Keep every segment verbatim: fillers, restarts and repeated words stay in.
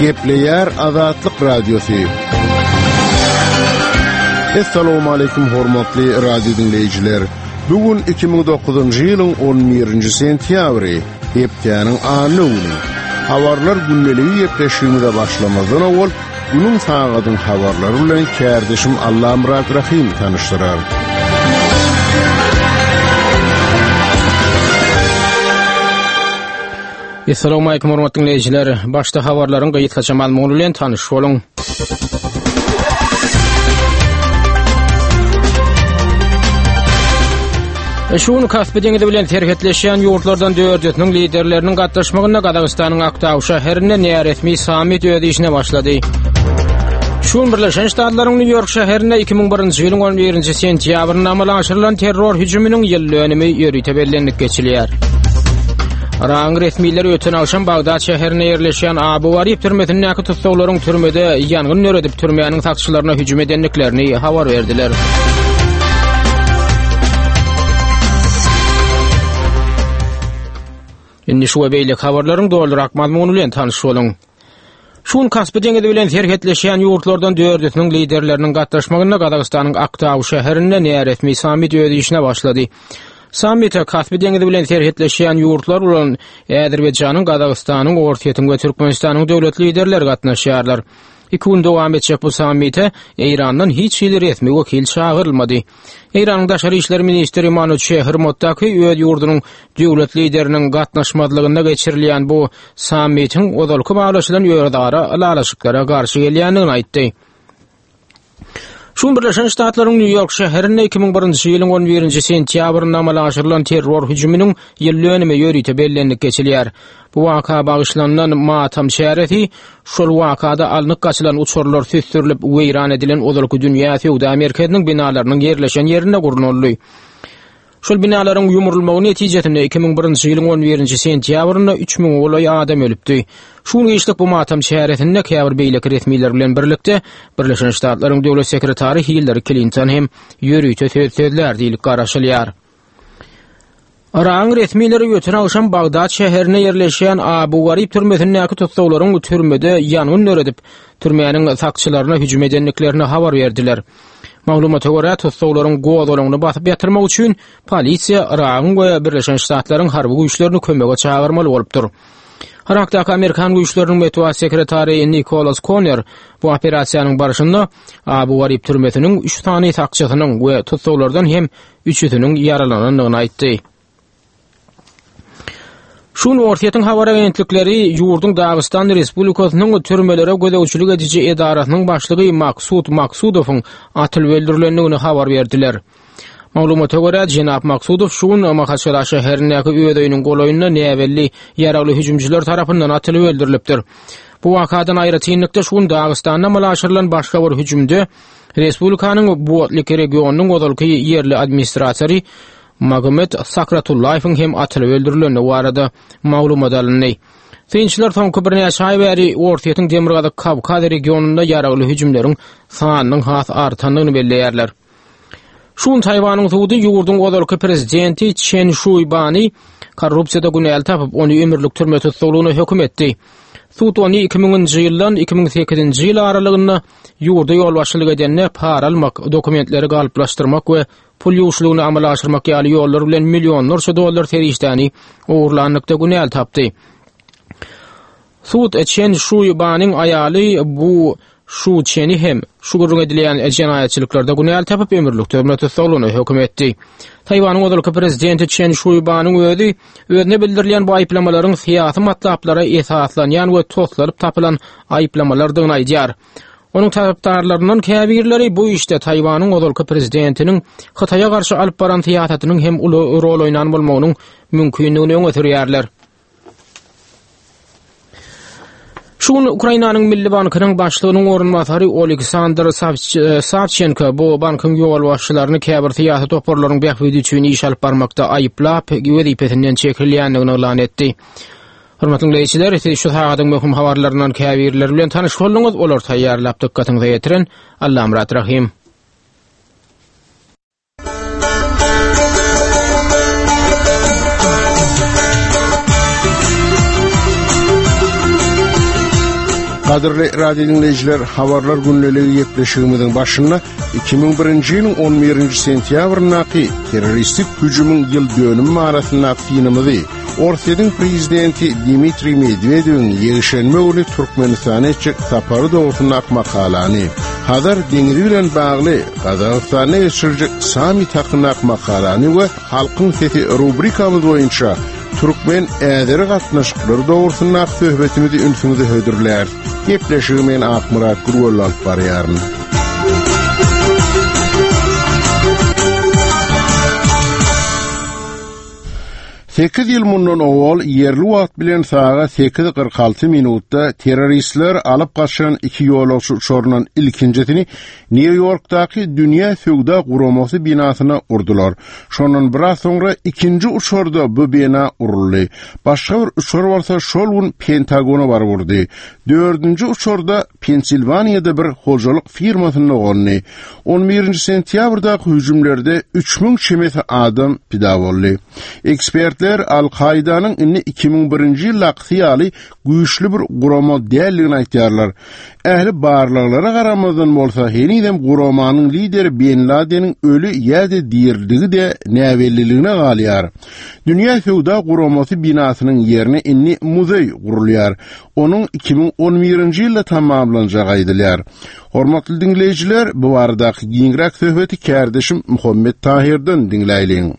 Gepleýär Azatlyk Radiosy. Assalamu hormatly radio dinleýjiler. Bu gün iki müň dokuzynjy ýylyň on birinji sentýabry, hepdäniň anna güni. Habarlar gündeligi gepleşigimize başlamazdan owal günüň sagadyň habarlary bilen kärdeşim Allamyrat Rahim tanyşdyrar. Assalamu alaykum hormatly dinleýjiler. Başda habarlaryň gysgaça mazmuny bilen tanyş boluň. Şu gün Kaspi deňizi bilen serhetleşýän ýurtlardan dördüsiniň liderleriniň gatnaşmagynda Gazagystanyň Aktau şäherinde näresmi sammit öz işine başlady. Şu gün Birleşen Ştatlaryň Nýu Ýork şäherinde iki müň birinji ýylyň on birinji sentýabrynda amala aşyrylan terror hüjüminiň ýyl dönümi ýörite bellenilip geçilýär. Yragyň resmileri öten agşam Bagdat şäherinde ýerleşýän Abu Garib türmesindäki tussaglaryň türmede ýangyn döredip türmäniň sakçylaryna hüjüm edendiklerini habar berdiler. Indi şu we beýleki habarlaryň dolurak mazmuny bilen tanyş boluň. Şu gün Kaspi deňizi bilen serhetleşýän ýurtlardan dördüsiniň liderleriniň gatnaşmagynda Gazagystanyň Aktau şäherinde näresmi sammit öz işine başlady. Sammite Kaspi deňizi bilen serhetleşýän ýurtlar bolan Azerbaýjanyň, Gazagystanyň, Orsýetiň we Türkmenistanyň döwlet liderleri gatnaşýarlar. Iki gün dowam etjek bu sammite Eýrandan hiç hili resmi wekil çagyrylmady. Eýranyň daşary işler ministri Manuçehr Mottaki öz ýurdunyň döwlet lideriniň gatnaşmazlygynda geçirilýän bu sammitiň ozalky baglaşylan özara ylalaşyklara garşy gelýändigini aýtdy. Şu Birleşen Ştatlaryň Nýu Ýork şäherinde iki müň birinji ýylyň on birinji sentýabrynda amala aşyrylan terror hüjüminiň ýyl dönümi ýörite bellenilip geçilýär. Bu waka bagyşlanylan matam çäresi şol wakada alnyp gaçylan uçarlar süsdürilip weýran edilen ozalky dünýä söwda merkeziniň binalarynyň ýerleşen ýerinde gurnaldy. Şol binalaryň ýumrulmagy netijesinde iki müň birinji ýylyň on birinji sentýabrynda üç müň golaý adam ölüpdi. Şu gün işlik bu matam çäresinde käbir beýleki resmiler bilen birlikde Birleşen Ştatlaryň döwlet sekretary Hillary Clinton hem ýörite söz sözlär diýilip garaşylýar. Yragyň resmileri öten agşam Bagdat şäherine ýerleşýän Abu Garib türmesindäki tussaglaryň türmede ýangyn döredip, türmäniň sakçylaryna hüjüm edendiklerini habar berdiler. Maglumata görä, tussaglaryň gozgalaňyny basyp ýatyrmak üçin polisiýa Yragyň we Birleşen Ştatlaryň harby güýçlerini kömege çagyrmaly bolupdyr. Irakdaky Amerikan güýçleriniň metbugat sekretary Nikolas Conner bu operasiýanyň barşynda Abu Garib türmesiniň üç sany sakçysynyň we tussaglardan hem üçüsiniň ýaralanandygyny aýtdy. Şu gün Orsýetiň habar agentlikleri ýurduň Dagystan Respublikasynyň türmelere gözegçilik ediji edarasynyň başlygy Maksud Maksudowyň atylyp öldürilendigini habar berdiler. Maglumata görä, Jenap Maksudow şu gün Mahaçkala şäherindäki öz öýüniň golaýynda näbelli ýaragly hüjümçiler tarapyndan atylyp öldürilipdir. Bu wakadan aýratynlykda şu gün Dagystanda amala aşyrylan başga bir hüjümde Respublikanyň Buatlik regionynyň ozalky ýerli administratory Magomed Sakratullaýewiň hem atylyp öldürilendigi barada maglumat alyndy. Synçylar soňky birnäçe aý bäri Orsýetiň Demirgazyk Kawkaz regionynda ýaragly hüjümleriň sanynyň has artandygyny belleýärler. Şu gün Taýwanyň sudy ýurduň ozalky prezidenti Çen Şuýbany korrupsiýada günäli tapyp, ony ömürlik türme tussaglygyna höküm etdi. Sud ony iki müňünji ýyldan iki müň sekizinji ýyl aralygynda ýurda ýolbaşçylyk edende para almak, dokumentleri galyplaşdyrmak we pul ýuwuşlygyny amala aşyrmak ýaly ýollar bilen millionlarça dollar serişdäni ogurlanlykda günäli tapdy. Sud Çen Şuýbanyň aýaly bu Şu Çeni hem şu gürrüň edilýän jenaýatçylyklarda günäli tapyp ömürlik türme tussaglygyna höküm etdi. Taýwanyň ozalky prezidenti Çen Şuýbanyň özi özüne bildirilýän bu aýyplamalaryň syýasy matlaplara esaslanýan we toslaryp tapylan aýyplamalardygyny aýdýar. Onuň tarapdarlaryndan käbirleri bu işde Taýwanyň ozalky prezidentiniň Hytaýa garşy alyp baran syýasatynyň hem uly rol oýnan bolmagynyň mümkindigini öňe sürýärler. Şu gün Ukrainanyň Milli Bankynyň başlygynyň orunbasary Oleksandr Savç-, Savçenko bu bankyň ýolbaşçylaryny käbir syýasy toparlaryň bähbidi üçin iş alyp barmakda aýyplap, wezipesinden çekilýändigini yglan etdi. Hormatly dinleýjiler, siz şu sagadyň möhüm habarlaryndan käbirleri bilen tanyş bolduňyz. Olar taýýarlap dykgatyňyza ýetiren Allamyrat Rahim. Gadyrly radio dinleýjiler, habarlar gündeligi gepleşigimiziň başynda iki müň birinji ýylyň on birinji sentýabryndaky terroristik hüjümiň ýyl dönümi arasyndaky synymyzy Orsýetiň prezidenti Dmitriý Medwedewiň ýekşenbe güni Türkmenistana etjek sapary dogrusyndaky makalany, Hazar deňizi bilen bagly Gazagystanda geçiriljek sammit hakyndaky makalany we Halkyň sesi rubrikamyz boýunça Türkmen äzeri gatnaşyklary dogrusyndaky söhbetimizi ünsüňize hödürläris. Gepleşigi men Akmyrat Gürgöl alyp barýaryn. Sekiz ýyl mundan owal ýerli wagt bilen sagat sekiz kyrk alty minutda terroristler alyp gaçan iki ýolagçy uçaryndan ilkinjisini Nýu-Ýorkdaky Dünýä Söwda Guramasy binasyna urdular. Şondan biraz soňra ikinji uçarda bu bina uruldy. Başga bir uçar bolsa şol gün Pentagona baryp urdy. Dördünji uçarda Pensilwaniýada bir hojalyk firmasynda gondy. On birinji sentýabrdaky hüjümlerde üç müň çemesi adam pida boldy. Ekspertler Al-Kaidanyň indi iki müň birinji ýyldakysy ýaly güýçli bir gurama däldigini aýtýarlar. Ähli barlaglara garamazdan bolsa henizem guramanyň lideri Bin Ladeniň öli ýa-da diriligi-de näbelliligine galýar. Dünýä Söwda Guramasy binasynyň ýerine indi muzeý gurulýar. Onuň iki müň on birinji ýylda tamamlanjagy aýdylýar. Hormatly dinleýjiler, bu baradaky giňräk söhbeti kärdeşim Muhammet Tahirden diňläýliň.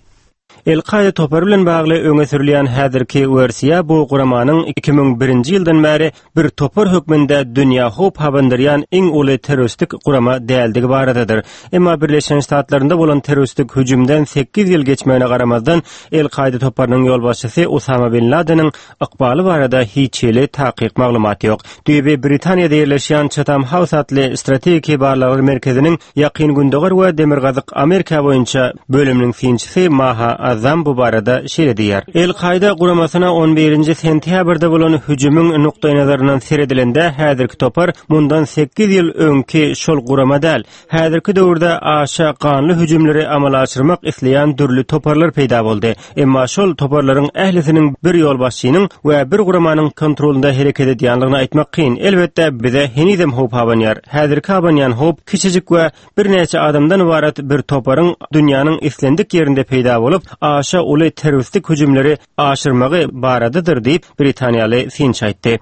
El-Kaide topary bilen bagly öňe sürülýän häzirki wersiýa bu guramanyň iki müň birinji ýyldan bäri bir topar hökmünde dünýä howp habandyrýan iň uly terroristik gurama däldigi baradadyr. Emma Birleşen Ştatlarynda bolan terroristik hüjümden sekiz ýyl geçmegine garamazdan El-Kaide toparynyň ýolbaşçysy Usama bin Ladeniň ykbaly barada hiç hili takyk maglumat ýok. Düýbi Britaniýada ýerleşýän Chatham House atly strategik barlaglar merkeziniň Ýakyn Gündogar we Demirgazyk Amerika boýunça bölüminiň synçysy Maha Azam bu barada şeýle diýýär. El-Kaide guramasyna on birinji sentýabrda bolan hüjümiň nukdaýnazaryndan seredilende häzirki topar mundan sekiz ýyl öňki şol gurama däl. Häzirki döwürde aşa ganly hüjümleri amala aşyrmak isleýän dürli toparlar peýda boldy. Emma şol toparlaryň ählisiniň bir ýolbaşçynyň we bir guramanyň kontrolunda hereket edýänligini aýtmak kyn. Elbetde bize henizem howp abanýar. Häzirki abanýan howp kiçijik we birnäçe adamdan ibarat bir toparyň dünýäniň islendik ýerinde peýda bolup, aşa uly terroristik hüjümleri aşyrmagy baradadyr diýip Britaniýaly synçy aýtdy.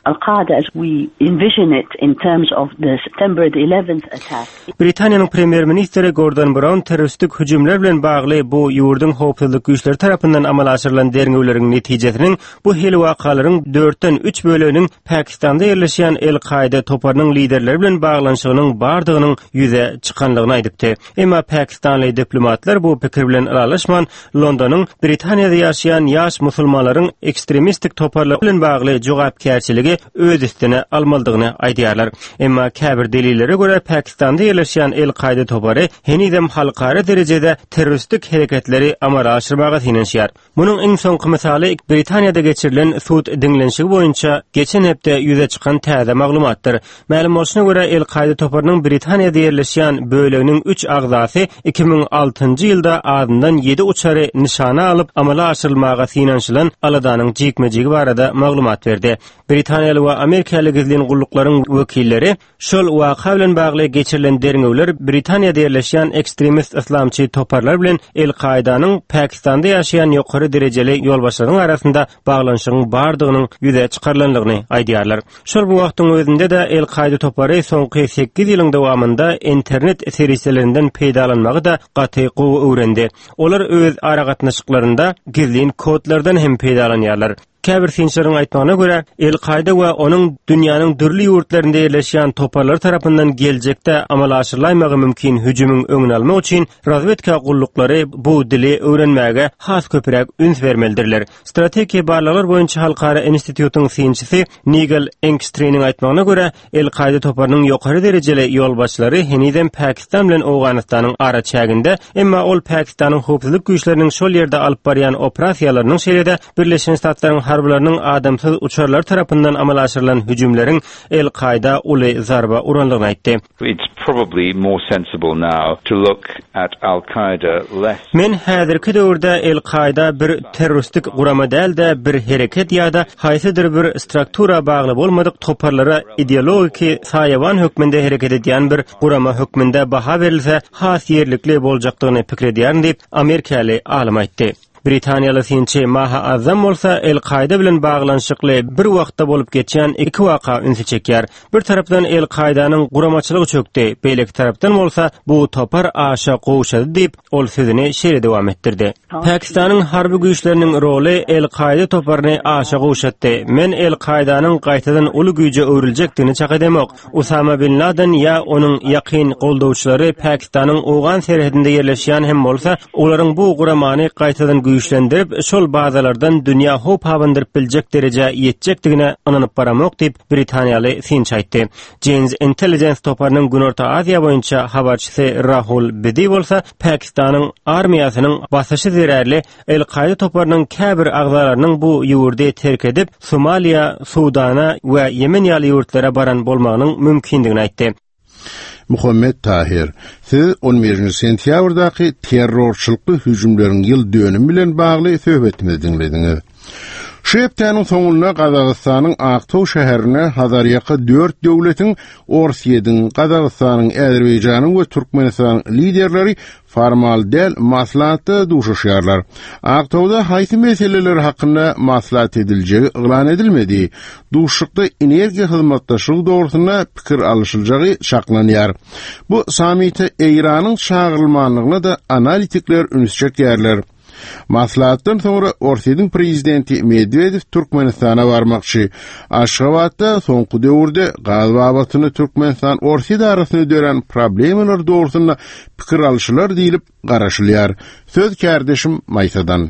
Al-Qaeda as we envision it in terms of the September the eleventh attack. Britaniýanyň premýer-ministri Gordon Brown terroristik hüjümler bilen bagly bu ýurduň howpsuzlyk güýçleri tarapyndan amala aşyrylan derňewleriň netijesiniň bu hili wakalaryň dörtden üç böleginiň Pakistanda ýerleşýän El-Kaide toparynyň liderleri bilen baglanyşygynyň bardygynyň ýüze çykanlygyny aýdypdy. Emma Pakistanly diplomatlar bu pikir bilen ylalaşman, Londonyň Britaniýada ýaşaýan ýaş musulmanlaryň ekstremistik toparlar bilen bagly jogapkärçiligi öz üstüne almalydygyny aýdýarlar. Emma käbir delillere görä Pakistanda ýerleşýän El-Kaide topary henizem halkara derejede terroristik hereketleri amala aşyrmaga synanyşýar. Munuň iň soňky mysaly Britaniýada geçirilen sud diňlenişigi boýunça geçen hepde ýüze çykan täze maglumatdyr. Mälim bolşuna görä El-Kaide toparynyň Britaniýada ýerleşýän böleginiň üç agzasy iki müň altynjy ýylda azyndan ýedi uçary nyşana alyp amala aşyrylmaga synanyşylan aladanyň jikmejigi barada maglumat berdi. Britaniýaly we Amerikaly gizlin gulluklaryň wekilleri şol waka bilen bagly geçirilen derňewler Britaniýada ýerleşýän ekstremist islamçy toparlar bilen El-Kaidanyň Pakistanda ýaşaýan ýokary derejeli ýolbaşçylaryň arasynda baglanyşygyň bardygynyň ýüze çykarylandygyny aýdýarlar. Şol bu wagtyň özünde de El-Kaide topary soňky sekiz ýylyň dowamynda internet serişdelerinden peýdalanmagy da gaty gowy öwrendi. Olar öz aragatnaşyklarynda gizlin kodlardan hem peýdalanýarlar. Käbir synçylaryň aýtmagyna görä, El-Kaide we onuň dünýäniň dürli ýurtlarynda ýerleşýän toparlar tarapyndan geljekde amala aşyrylaýmagy mümkin hüjümiň öňüni almak üçin razwedka gulluklary bu dili öwrenmäge has köpräk üns bermelidirler. Strategik barlaglar boýunça halkara institutyň synçysy Nigel Engstriniň aýtmagyna görä, El-Kaide toparynyň ýokary derejeli ýolbaşçylary henizem Pakistan bilen Owganystanyň araçäginde, emma ol Pakistanyň howpsuzlyk güýçleriniň şol ýerde alyp barýan operasiýalarynyň şeýle-de Birleşen Ştatlaryň harbylarynyň adamsyz uçarlar tarapyndan amala aşyrylan hüjümleriň El-Kaýda uly zarba urandygyny aýtdy. It's probably more sensible now to look at Al-Qaeda less Men häzirki döwürde El-Kaýda bir terroristik gurama däl-de bir hereket ýa-da haýsydyr bir struktura bagly bolmadyk toparlara ideologiki saýawan hökmünde hereket edýän bir gurama hökmünde baha berilse has ýerlikli boljakdygyny pikir edýärin diýip Amerikaly alym aýtdy. Britaniýaly synçy Maha Azzam bolsa El-Kaýda bilen baglanyşykly bir wagtda bolup geçýän iki waka ünsi çekýär. Bir tarapdan El-Kaýdanyň guramaçylygy çökdi, beýleki tarapdan bolsa bu topar aşa gowşady diýip, ol sözüni şeýle dowam etdirdi. Pakistanyň harby güýçleriniň roly El-Kaýda toparyny aşa gowşatdy. Men El-Kaýdanyň gaýtadan uly güýje öwrüljekdigini çak edemok. Usama bin Laden ýa onuň ýakyn goldawçylary Pakistanyň Owgan serhedinde ýerleşýän hem bolsa, olaryň bu guramany gaýtadan güýçlendirip, şol bazalardan dünýä howp abandyryp biljek derejä ýetjekdigine ynanyp baramok diýip Britaniýaly synçy aýtdy. Janes Intelligence toparynyň Günorta Aziýa boýunça habarçysy Rahul Bedi bolsa Pakistanyň armiýasynyň basyşy zerarly El-Kaýda toparynyň käbir agzalarynyň bu ýurdy terk edip, Somaliýa, Sudana we Ýemen ýaly ýurtlara baran bolmagynyň mümkindigini aýtdy. Muhammed Tahir, siz on birinji sentýabrdaky terrorçylykly hüjümleriň ýyl dönümi bilen bagly söhbetimizi diňlediňiz. Şu hepdäniň soňunda Gazagystanyň Aktau şäherine Hazarýaka dört döwletiň Orsýetiň, Gazagystanyň, Azerbaýjanyň we Türkmenistanyň liderleri formal däl maslahatda duşuşýarlar. Aktauda haýsy meseleler hakynda maslahat ediljegi yglan edilmedi. Duşuşykda energiýa hyzmatdaşlygy dogrusynda pikir alyşyljagy çaklanýar. Bu sammite Eýranyň çagyrylmanlygyna da analitikler üns çekýärler. Maslahatdan soňra Orsýetiň prezidenti Medwedew Türkmenistana barmakçy. Aşgabatda soňky döwürde gaz babatynda Türkmenistan Orsýet arasynda dörän problemalar dogrusynda pikir alyşylar diýilip garaşylýar. Söz kärdeşim Maýsadan.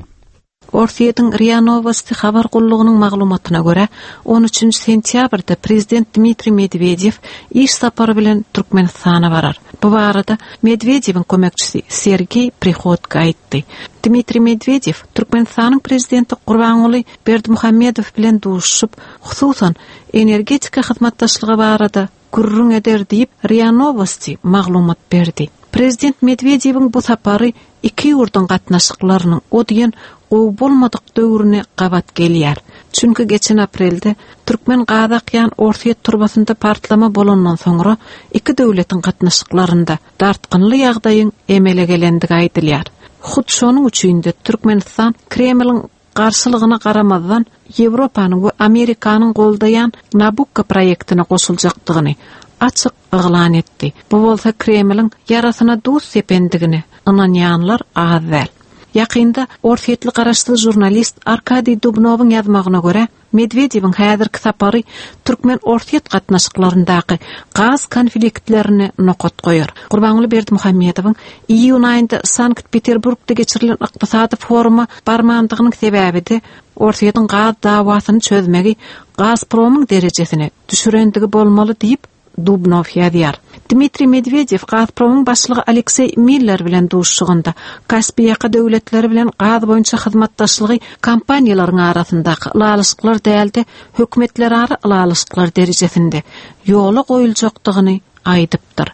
Orsýetiň R I A Novosti habar gullugynyň maglumatyna görä, on üçünji sentýabrda prezident Dmitriý Medwedew iş sapary bilen Türkmenistana barar. Bu barada Medwedewiň kömekçisi Sergeý Prihodko aýtdy. Dmitriý Medwedew Türkmenistanyň prezidenti Gurbanguly Berdimuhamedow bilen duşup, hususan energetika hyzmatdaşlygy barada gürrüň eder diýip R I A Novosti maglumat berdi. Prezident Medwedewiň bu sapary iki ýurduň gatnaşyklarynyň o diýen gowy bolmadyk döwrüne gabat gelýär. Çünki geçen aprelde Türkmen gaz akýan Orsýet turbasynda partlama bolandan soňra iki döwletiň gatnaşyklarynda dartgynly ýagdaýyň emele gelendigi aýdylýar. Hut şonuň üçin de Türkmenistan Kremliň garşylygyna garamazdan Ýewropanyň we Amerikanyň goldaýan Nabukko proýektine goşuljakdygyny açyk yglan etdi. Bu bolsa Kremliň ýarasyna duz sependigini ynanýanlar az däl. Ýakynda Orsýetli garaşsyz žurnalist Arkadiý Dubnowyň ýazmagyna görä, Medwedewiň häzirki sapary Türkmen-Orsýet gatnaşyklaryndaky gaz konfliktlerine nokat goýar. Gurbanguly Berdimuhamedowyň iýun aýynda Sankt-Peterburgda geçirilen ykdysady foruma barmandygynyň sebäbi-de Orsýetiň gaz dawasyny çözmegi Gazpromyň derejesine düşürendigi bolmaly diýip Dubnow ýazýar. Dmitriý Medwedew Gazpromyň başlygy Alekseý Miller bilen duşuşygynda Kaspiýaka döwletleri bilen gaz boýunça hyzmatdaşlygy kompaniýalaryň arasyndaky ylalaşyklar däl-de hökümetlerara ylalaşyklar derejesinde ýola goýuljakdygyny aýdypdyr.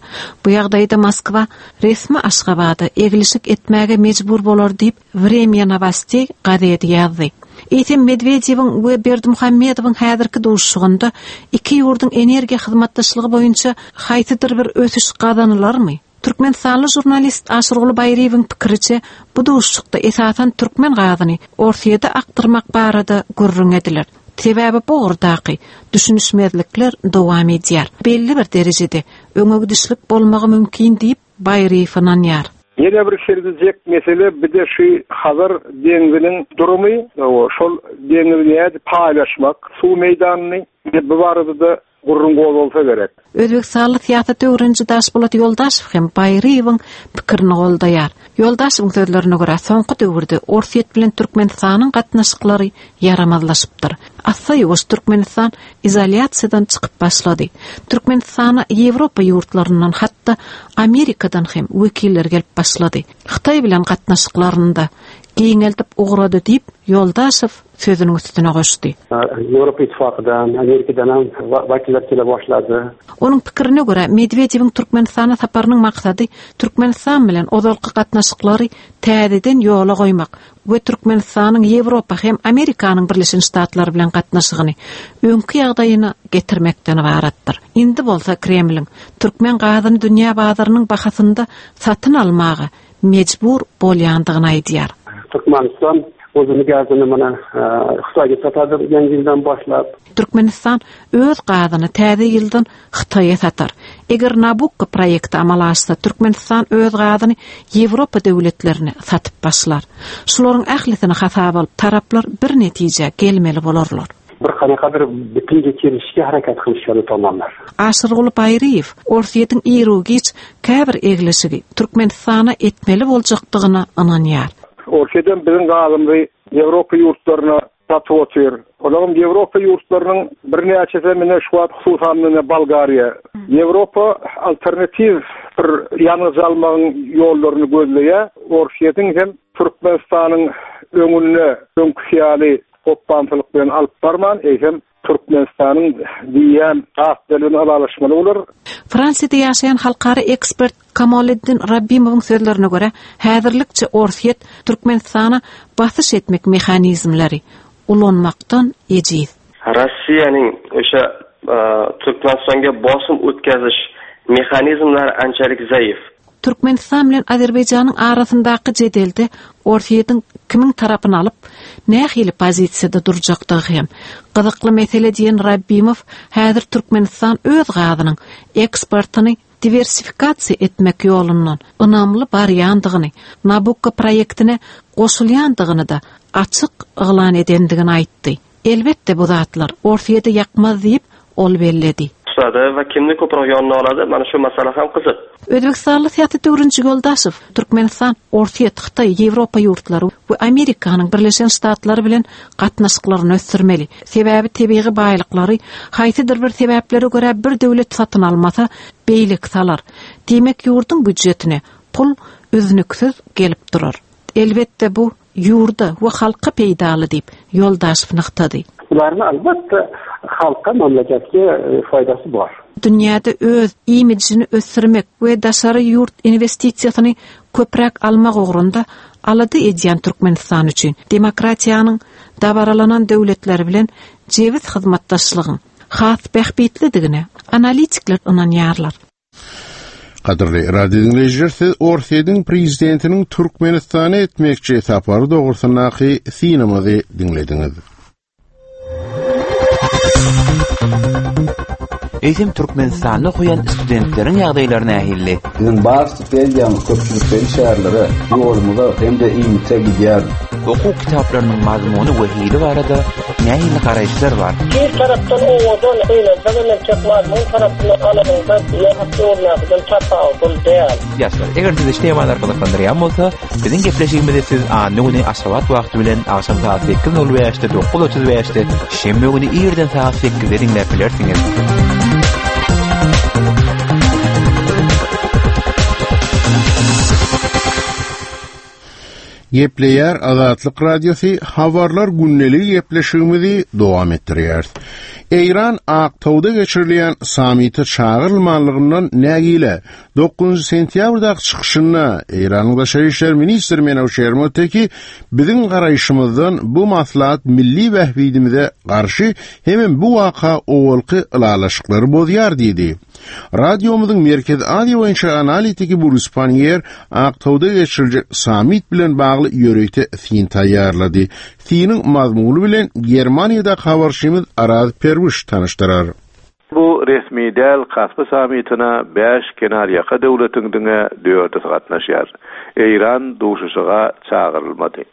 Bu ýagdaýda Moskwa resmi Aşgabada eglişik etmäge mejbur bolar diýip Vremya Novostey gazeti ýazdy. Eýsem Medwedewiň we Berdimuhamedowyň häzirki duşuşygynda iki ýurduň energiýa hyzmatdaşlygy boýunça haýsydyr bir ösüş gazanylarmy? Türkmenistanly žurnalist Aşyrguly Baýryýewiň pikiriçe bu duşuşykda esasan türkmen gazyny Orsýete akdyrmak barada gürrüň ediler. Sebäbi bu ugurdaky düşünişmezlikler dowam edýär. Belli bir derejede öňe gidişlik bolmagy mümkin diýip Baýryýew ynanýar. Ýene bir sergizek mesele bir de şu Hazar deňziniň durumy, o şol deňizi nädip paýlaşmak, suw meýdanyny bu barada da gürrüň bolsa gerek. Özbekistanly syýasat öwreniji Daşpolat Ýoldaşow hem Baýryýewiň pikirini goldaýar. Ýoldaşowyň sözlerine görä, soňky döwürde Orsýet bilen Türkmenistanyň gatnaşyklary ýaramazlaşypdyr. Assa-ýuwaş Türkmenistan izolýasiýadan çykyp başlady. Türkmenistana Ýewropa ýurtlaryndan hatda Amerikadan hem wekiller gelip başlady. Hytaý bilen gatnaşyklarynda giňeldip ugrady diýip Ýoldaşow sözüniň üstüne goşdy. Ýewropa Ittifakydan, Amerikadan hem wekiller kele başlady. Onuň pikirine görä, Medwedewiň Türkmenistana saparynyň maksady Türkmenistan bilen ozalky gatnaşyklary täzeden ýola goýmak we Türkmenistanyň Ýewropa hem Amerikanyň Birleşen Ştatlary bilen gatnaşygyny öňki ýagdaýyna getirmekden ybaratdyr. Indi bolsa Kremliň türkmen gazyny dünýä bazarynyň bahasynda satyn almaga mejbur bolýandygyny aýdýar. Türkmenistan özüni gazyny mana Hytaýga satady ýaňy ýyldan başlap. Türkmenistan öz gazyny täze ýyldan Hytaýa satar. Eger Nabukko proýekti amala aşsa, Türkmenistan öz gazyny Ýewropa döwletlerine satyp başlar. Şularyň ählisini hasaba alyp taraplar bir netijä gelmeli bolarlar. Bir kanakadyr bütün geçirişki hareket kılıçları tamamlar. Aşyrguly Baýryýew Orsýetiň iru-giç käbir egleşigi Türkmenistana etmeli boljakdygyna ynanýar. Orsýetden biziň gazymyzy Ýewropa ýurtlaryna satyp otyr. Olaryň Ýewropa ýurtlarynyň birnäçesi mine şu wagt hususan mine Bolgariýa. Ýewropa alternatiw bir ýangyç almagyň ýollaryny gözleýär. Orsýetiň hem Türkmenistanyň öňünde öňküsi ýaly hopbançylyk bilen alyp barman, eýsem Türkmenistanyň diýýän gaz bilen ylalaşmaly bolar. Fransiýada ýaşaýan halkara ekspert Kamoliddin Rabbimowyň sözlerine görä, häzirlikçe Orsýet Türkmenistana basyş etmek mehanizmleri ulanmakdan ejiz. Rossiyaning o'sha e, Turkmanistonga bosim o'tkazish mexanizmlari anchalik zaif. Türkmenistan bilen Azerbaýjanyň arasyndaky jedelde Orsýetiň kimiň tarapyny alyp, nähili pozisiýada durjakdygy hem gyzykly mesele diýen Rabbimow häzir Türkmenistan öz gazynyň eksportyny diwersifikasiýa etmek ýolundan ynamly barýandygyny, Nabukko proýektine goşulýandygyny da açyk yglan edendigini aýtdy. Elbetde bu zatlar Orsýete ýakmaz diýip ol belledi. Tutadi va kimni ko'proq yonina oladi, mana shu masala ham qiziq. Özbekistanly syýasat öwreniji Ýoldaşew Türkmenistan, Orsýet, Hytaý, Ýewropa ýurtlary we Amerikanyň Birleşen Ştatlary bilen gatnaşyklaryny ösdürmeli. Sebäbi tebigy baýlyklary haýsydyr bir sebäplere görä bir döwlet satyn almasa, beýleki salar. Diýmek ýurduň býujetine pul üznüksiz gelip durar. Elbetde bu ýurda we halka peýdaly diýip Ýoldaşew nygtady. Bularning albatta halka, mamlakatga e, foydasi bor. Dünýäde öz imijini ösdürmek we daşary ýurt investisiýasyny köpräk almak ugrunda alada edýän Türkmenistan üçin demokratiýanyň dabaralanan döwletleri bilen jebis hyzmatdaşlygyň has bähbitlidigine analitikler ynanýarlar. Gadyrly radio dinleýjiler, siz Orsýetiň prezidentiniň Türkmenistana etmekçi sapary dogrusyndaky synymyzy diňlediňiz. Eýsem Türkmenistanda okaýan studentleriň ýagdaýlary nähili? Biziň bar stipendiyamyz köpçülikleýin şäherlere, ýolumuza hem-de iýmite gidýär. Okuw kitaplarynyň mazmuny we hili barada nähili garaýyşlar bar? Bir tarapdan owadan, gynansa men tek mazmun tarapyndan alanyňda ýa ýollardan tapawutly däl. Ýaşlar, eger sizi şu temalar gyzyklandyrýan bolsa, biziň gepleşigimizi siz anna güni Aşgabat wagty bilen agşam saat sekiz nol bäşde, dokuz otuz bäşde, şenbe güni irden saat sekizde diňläp bilersiňiz. Gepleýär Azatlyk Radiosy habarlar günlük gepleşigimizi dowam etdirýär. Eýran Aktauda geçirilýän sammite çagyrylmanlygyndan nägile dokuzynjy sentýabrdaky çykyşynda Eýranyň Daşary işler ministri Menawşer Moteki biziň garaýşymyzdan bu maslahat milli bähbidimize garşy hemem bu waka owalky ylalaşyklary bozýar diýdi. Radiomyzyň Merkezi Aziýa boýunça analitiki Burus Pannier Aktauda geçiriljek sammit bilen bagly ýörite syn taýýarlady. Synyň mazmuny bilen Germaniýada habarçymyz Araz Perwiş tanyşdyrar. Bu resmi däl Kaspi sammitine bäş kenarýaka döwletiň diňe dördüsi gatnaşýar. Eýran duşuşyga çagyrylmady.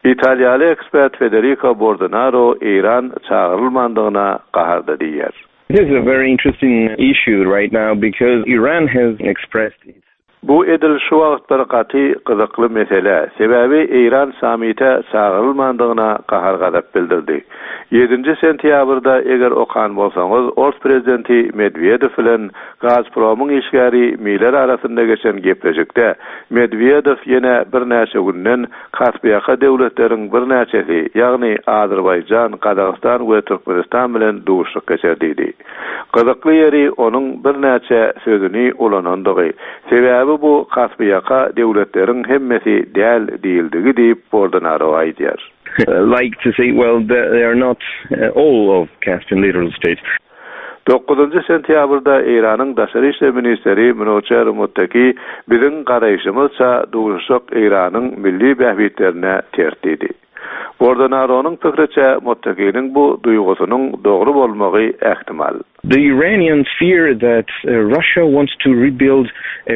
Italiýaly ekspert Federico Bordonaro Eýran çagyrylmandygyna gaharda diýýär. This is a very interesting issue right now because Iran has expressed its Bu edil şu wagt bir gaty gyzykly mesele. Sebäbi Eýran sammite çagyrylmandygyna gahar gazap bildirdi. Ýedinji sentýabrda eger okan bolsaňyz, Ors prezidenti Medvedev bilen Gazpromyň işgäri Miller arasynda geçen gepleşikde Medwedew ýene birnäçe günden Kaspiýaka döwletleriň birnäçesi, ýagny Azerbaýjan, Gazagystan we Türkmenistan bilen duşuşyk geçer diýdi. Gyzykly ýeri onuň birnäçe sözüni ulanandygy. Sebäbi bu Kaspiýaka döwletleriň hemmesi däl diýildigi diýip Bordonaro aýdýar. Like to say, well, they are not all of Caspian littoral states. Dokuzynjy sentýabrda Eýranyň daşary işler ministri Minoçer Muttaki biziň garaýşymyzça duşuşyk Eýranyň milli bähbitlerine ters diýdi. Bordonaronyň pikiriçe Muttakiniň bu duýgusynyň dogry bolmagy ähtimal. The Iranians fear that Russia wants to rebuild a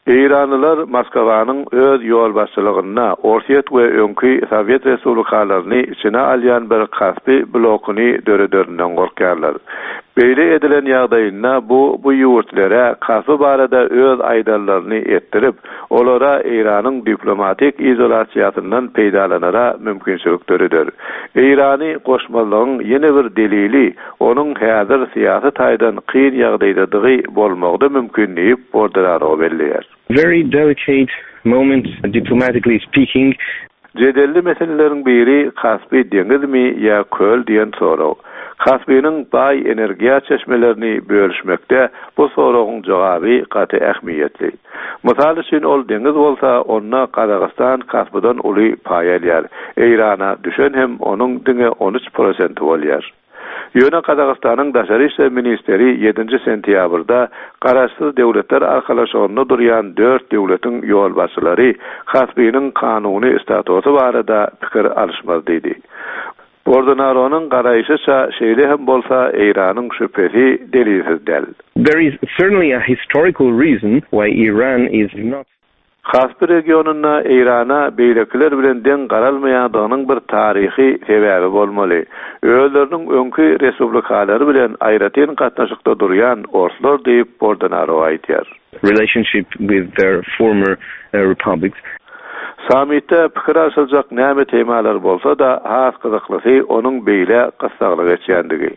Eýranlylar Moskwanyň öz ýolbaşçylygynda Orsýet we öňki Sowet respublikalaryny içine alýan bir Kaspi blokuny dörederinden gorkýarlar. Beýle edilen ýagdaýynda bu bu ýurtlara Kaspi barada öz aýdanlaryny etdirip, olara Eýranyň diplomatik izolasiýasyndan peýdalanara mümkinçilik döreder. Eýrany goşmazlygyň ýene bir delili onuň häzir syýasy taýdan kyn ýagdaýdadygy bolmagy mümkin diýip Bordonaro belleýär. Very delicate moment diplomatically speaking. Jedelli meseleleriň biri Kaspi deňizmi ýa köl diýen sorag. Kaspiniň baý energiýa çeşmelerini bölüşmekde bu soragyň jogaby gaty ähmiýetli. Mysal üçin ol deňiz bolsa, onda Gazagystan Kaspidan uly paý alýar. Eýrana düşen hem onuň diňe on üç prosenti bolýar. Ýöne Gazagystanyň daşary işler ministeri ýedinji sentýabrda Garaşsyz Döwletler Arkalaşygynda durýan dört döwletiň ýolbaşçylary Kaspiniň kanuny statusy barada pikir alyşmaz diýdi. Bordonaronyň garaýşyça şeýle hem bolsa Eýranyň şübhesi delilsiz däl. There is certainly a historical reason why Iran is not Kaspi regionynda Eýrana beýlekiler bilen deň garalmaýandygynyň bir taryhy sebäbi bolmaly. Özleriniň öňki respublikalary bilen aýratyn gatnaşykda durýan orslar diýip Bordonaro aýdýar. Relationship with their former republics. Sammitde pikir alşyljak näme temalar bolsa-da, has gyzyklysy onuň beýle gyssagly geçýändigi.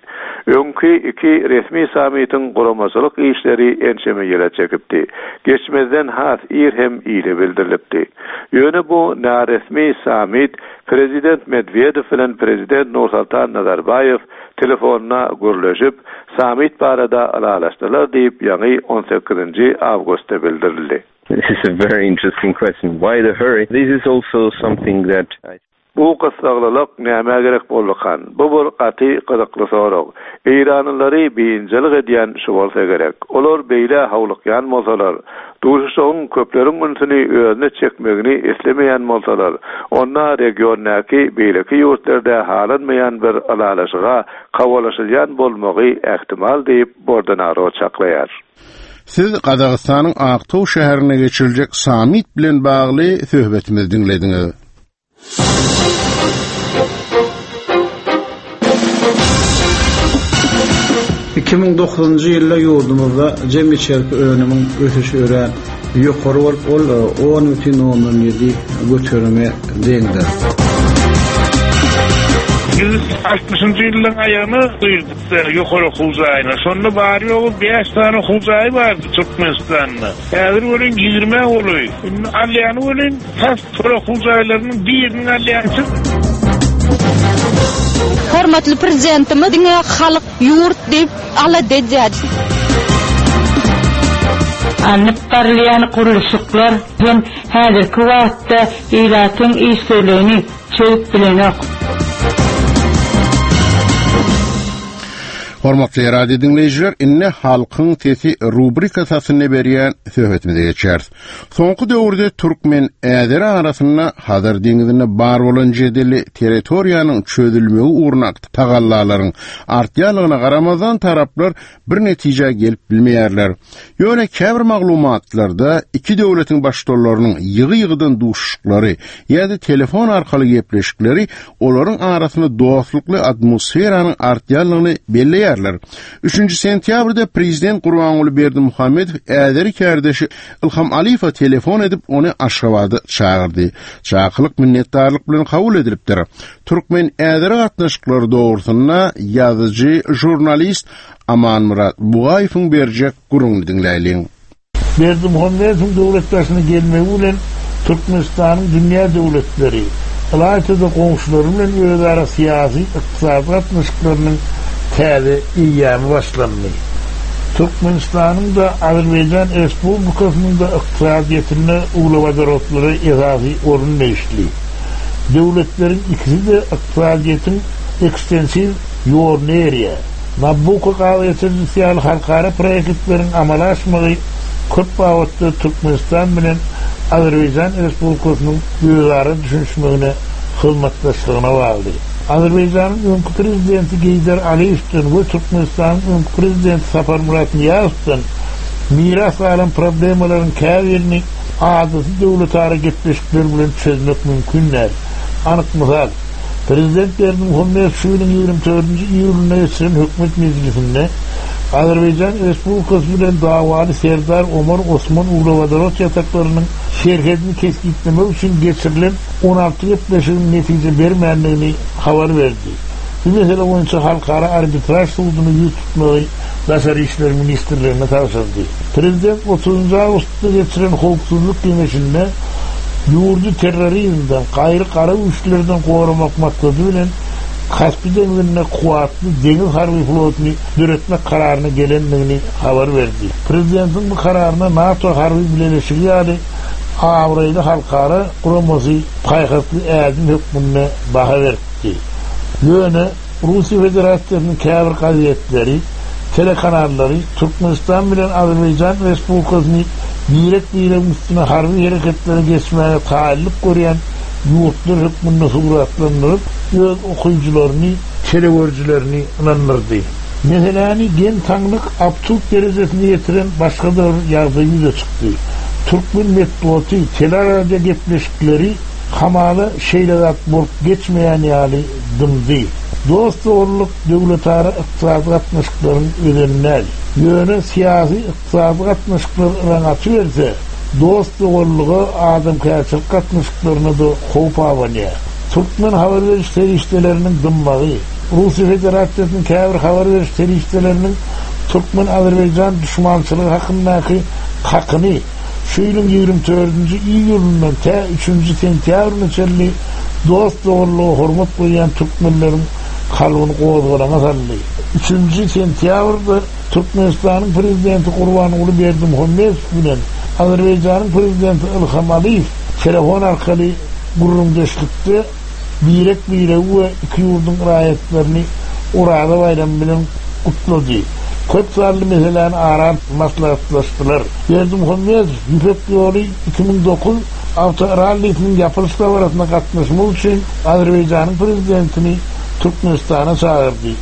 Öňki iki resmi sammitiň guramaçylyk işleri ençeme ýyla çekipdi. Geçmezden has ir hem ile bildirilipdi. Ýöne bu naresmi sammit Prezident Medwedew bilen Prezident Nursultan Nazarbaýew telefonuna gürleşip, sammit barada ylalaşdylar diýip, ýaňy on sekizinji awgustda bildirildi. This is a very interesting question. Why the hurry? This is also something that I Bu gyssaglylyk nämä gerek boldukan? Bu bir gaty gyzykly sorag. Eýranlylary biynjalyk edýän şu bolsa gerek. Olar beýle hawlukýan bolsalar, duşuşygyň köpleriň ünsüni özüne çekmegini islemeýän bolsalar, onda regiondaky beýleki ýurtlarda halanmaýan bir ylalaşyga kawalaşylýan bolmagy ähtimal diýip Bordonaro çaklaýar. Siz Gazagystanyň Aktow şäherine geçiriljek sammit bilen bagly söhbetimizi diňlediňiz. iki müň dokuzynjy ýylda ýurdumyzda jem içerki önümiň ösüşi örän ýokary bolup, ol on bütin ondan ýedi göterime deňdir. Biz altmyşynjy ýyllaryň aýagyna girdik ýokary okuw jaýyna. Şonda bary ýogy bäş sany okuw jaýy bardy Türkmenistanda. Häzir welin ýigrimi golaý. Indi alýany welin tas okuw jaýlarynyň biriniň alýançy. Hormatly prezidentimiz diňe halk ýurt diýip alada edýär. Alnyp barylýan gurluşyklar hem häzirki wagtda ilatyň işsizligini çözüp bilenok. Hormatly radio dinleýjiler, indi halkyň sesi rubrikasyny berýän söhbetimize geçýäris. Soňky döwürde türkmen äzeri arasynda Hazar deňizinde bar bolan jedelli territoriýanyň çözülmegi ugruna tagallalaryň artýanlygyna garamazdan taraplar bir netijä gelip bilmeýärler. Ýöne käbir maglumatlarda iki döwletiň baştutanlarynyň ýygy-ýygydan duşuşyklary ýa-da telefon arkaly gepleşikleri olaryň arasynda dostlukly atmosferanyň artýanlygyny belleýärler. Üçünji sentýabrda prezident Gurbanguly Berdimuhamedow äzeri kärdeşi Ilham Aliýewe telefon edip ony Aşgabada çagyrdy. Çakylyk minnetdarlyk bilen kabul edilipdir. Türkmen äzeri gatnaşyklary dogrusynda ýazyjy, žurnalist Amanmyrat Bugaýewiň berjek gürrüňini diňläýliň. Berdimuhamedowyň döwlet başyna gelmegi bilen Türkmenistanyň dünýä döwletleri, ylaýta-da goňşulary bilen özara syýasy, ykdysady gatnaşyklarynyň täze eýýamy başlandy. Türkmenistanyň-da, Azerbaýjan Respublikasynyň-da ykdysadyýetinde uglewodorodlara esasy orun degişli. Döwletleriň ikisi-de ykdysadyýetiň ekstensiw ýoluny eýerýär. Nabucco gaz geçirijisi ýaly halkara proýektleriň amala aşmagy köp babatda Türkmenistan bilen Azerbaýjan Respublikasynyň özara düşünişmegine, hyzmatdaşlygyna bagly. Azerbaýjanyň öňki prezidenti Geýdar Aliýewden we Türkmenistanyň öňki prezidenti Saparmyrat Nyýazowdan miras galan problemalaryň käbirini adaty döwletara gepleşikler bilen çözmek mümkin däl. Anyk mysal, Prezident Berdimuhamedow şu ýylyň ýigrimi dördünji iýulynda geçiren hökümet mejlisinde Azerbaýjan Respublikasy bilen dawaly Serdar Omar Osman uglewodorod ýataklarynyň serhedini kesgitlemek üçin geçirilen on alty gepleşigiň netije bermändigini habar berdi. Bu mesele boýunça Halkara arbitraž suduna ýüz tutmagy Daşary işler ministrligine tabşyrdy. Prezident otuzynjy awgustda geçiren Howpsuzlyk geňeşinde ýurdy terrorizmden, gaýry gara güýçlerden goramak maksady bilen Kaspi deňzinde kuwwatly deňiz harby flotuny döretmek kararyna gelendigini habar berdi. Prezidentiň bu kararyna NATO harby bileleşigi ýaly abraýly halkara guramasy paýhasly ädim hökmünde baha beripdi. Ýöne Russiýa Federasiýasynyň käbir gazetleri, telekanallary Türkmenistan bilen Azerbaýjan Respublikasyny birek-biregiň üstüne harby hereketlere geçmäge taýynlyk görýän ýurtlar hökmünde suratlandyryp, öz okyjylaryny, telegörüjilerini ynandyrdy. Meseläni geň-taňlyk, absurd derejesine ýetiren başga-da bir ýagdaý ýüze çykdy. Türkmen metbugaty, teleradio gepleşikleri hamala şeýle zat bolup geçmeýän ýaly dymdy. Dost-doganlyk döwletara ykdysady gatnaşyklaryň özeni däl. Ýöne syýasy, ykdysady gatnaşyklar yraň atyberse, dost-doganlyga, adamkärçilik gatnaşyklaryna-da howp abanýar. Türkmen habar beriş serişdeleriniň dymmagy, Russiýa Federasiýasynyň käbir habar beriş serişdeleriniň türkmen-azerbaýjan duşmançylygy hakyndaky hakyny şu ýylyň ýigrimi dördünji iýulyndan tä üçünji sentýabryna çenli dost-doganlyga hormat goýýan türkmenleriň kalbyny gozgalaňa saldy. Üçünji sentýabrda Türkmenistanyň Prezidenti Gurbanguly Berdimuhamedow bilen Azerbaýjanyň Prezidenti Ilham Aliýew telefon arkaly gürrüňdeşlikde birek-biregi we iki ýurduň raýatlaryny Oraza baýramy bilen gutlady. Köp sanly meseläni ara alyp maslahatlaşdylar. Berdimuhamedow Ýüpek ýoly iki müň dokuz awtorallisiniň ýapylyş dabarasyna gatnaşmak üçin Azerbaýjanyň Prezidentini Türkmenistana çagyrdy.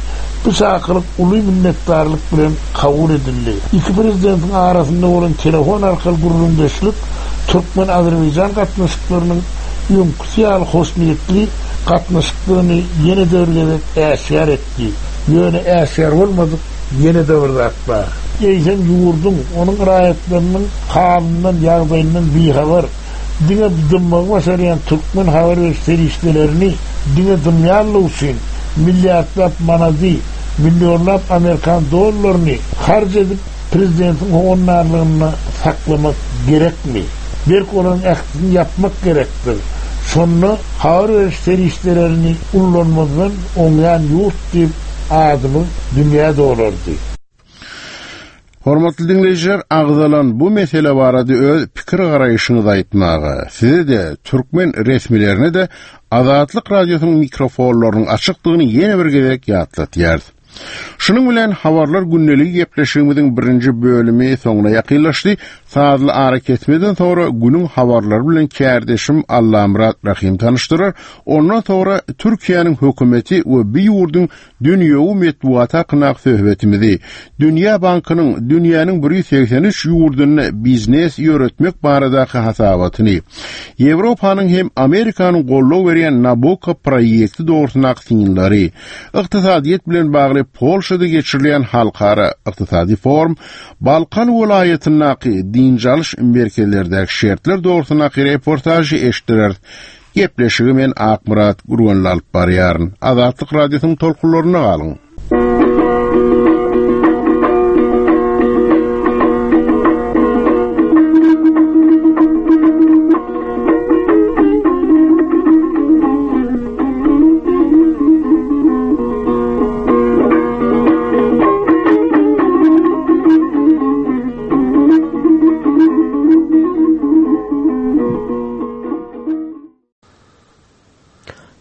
Bu çakylyk uly minnetdarlyk bilen kabul edildi. Iki prezidentiň arasynda bolan telefon arkaly gürrüňdeşlik türkmen-azerbaýjan gatnaşyklarynyň öňküsi ýaly hoşniýetli gatnaşykdygyny ýene-de bir gezek äşgär etdi. Ýöne äşgär bolmadyk ýene-de bir zat bar. Eýsem ýurduň, onuň raýatlarynyň halyndan, ýagdaýyndan bihabar, diňe dymmagy başarýan türkmen habar beriş serişdelerini diňe dymýanlygy üçin milliardlap manady, millionlap amerikan dollaryny harç edip prezidentiň howandarlygynda saklamak gerekmi? Berk olaryň ählisini ýapmak gerekdir. Şonda habar beriş serişdelerini ullanmazdan oňýan ýurt diýip adymyz dünýä dolardy. Hormatly diňleýjiler, agzalan bu mesele barada öz pikir garaýşyňyzy aýtmaga, size-de, türkmen resmilerine-de Azatlyk Radiosynyň mikrofonlarynyň açykdygyny ýene bir gezek ýatlatýarys. Şunuň bilen Habarlar gündeligi gepleşigimiziň birinji bölümi soňuna ýakynlaşdy. Sazly arakesmeden soňra günüň habarlary bilen kärdeşim Allamyrat Rahym tanyşdyrar. Ondan soňra Türkiýäniň hökümeti we bu ýurduň dünýewi metbugaty hakyndaky söhbetimizi, Dünýä bankynyň dünýäniň bir ýüz segsen üç ýurdunda biznes ýöretmek baradaky hasabatyny, Ýewropanyň hem Amerikanyň goldaw berýän Nabucco proýekti dogrusyndaky synlary, ykdysadyýet bilen bagly Polşada geçirilýän halkara ykdysady forum, Balkan welaýatyndaky dynç alyş merkezlerdäki şertler dogrusyndaky reportažy eşitdireris. Gepleşigi men Akmyrat Gürgenli alyp barýaryn. Azatlyk Radiosynyň tolkunlarynda galyň.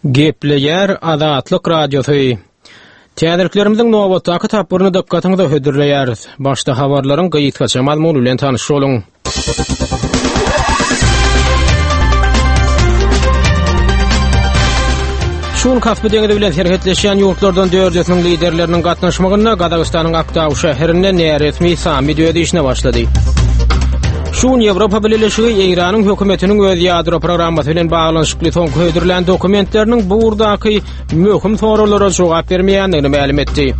Gepleýär Azatlyk Radiosy. Täzeliklerimiziň nobatdaky tapgyryny dykgatyňyza hödürleýäris. Başda habarlaryň gysgaça mazmuny bilen tanyş boluň. Şu gün Kaspi deňizi bilen serhetleşýän ýurtlardan dördüsiniň liderleriniň gatnaşmagynda Gazagystanyň Aktau şäherinde näresmi sammit öz işine başlady. Şu gün Ýewropa Bileleşigi Eýranyň hökümetiniň öz ýadro programmasy bilen baglanyşykly soňky hödürlän dokumentleriniň bu ugurdaky möhüm soraglara jogap bermeýändigini mälim etdi.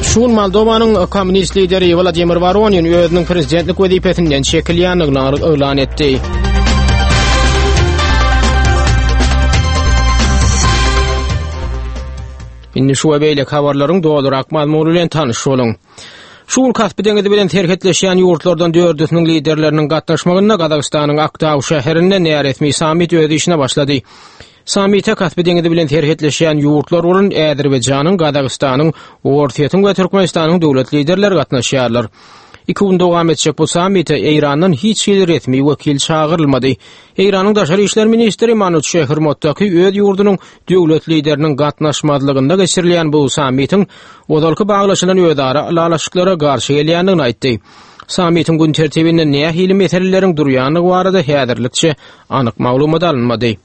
Şu gün Moldowanyň kommunist lideri Wladimir Woronin özüniň prezidentlik wezipesinden çekilýändigini yglan etdi. Indi şu we beýleki habarlaryň dolurak mazmuny bilen tanyş boluň. Şu gün Kaspi deňizi bilen serhetleşýän ýurtlardan dördüsiniň liderleriniň gatnaşmagynda Gazagystanyň Aktau şäherinde näresmi sammit öz işine başlady. Sammite Kaspi deňizi bilen serhetleşýän ýurtlar bolan Azerbaýjanyň, Gazagystanyň, Orsýetiň we Türkmenistanyň döwlet liderleri gatnaşýarlar. Iki gün dowam etjek bu sammite Eýrandan hiç hili resmi wekil çagyrylmady. Eýranyň daşary işler ministri Manuçehr Mottaki öz ýurdunyň döwlet lideriniň gatnaşmazlygynda geçirilýän bu sammitiň ozalky baglaşylan özara ylalaşyklara garşy gelýändigini aýtdy. Sammitiň gün tertibinde nähili meseleleriň durýandygy barada häzirlikçe anyk maglumat alynmady.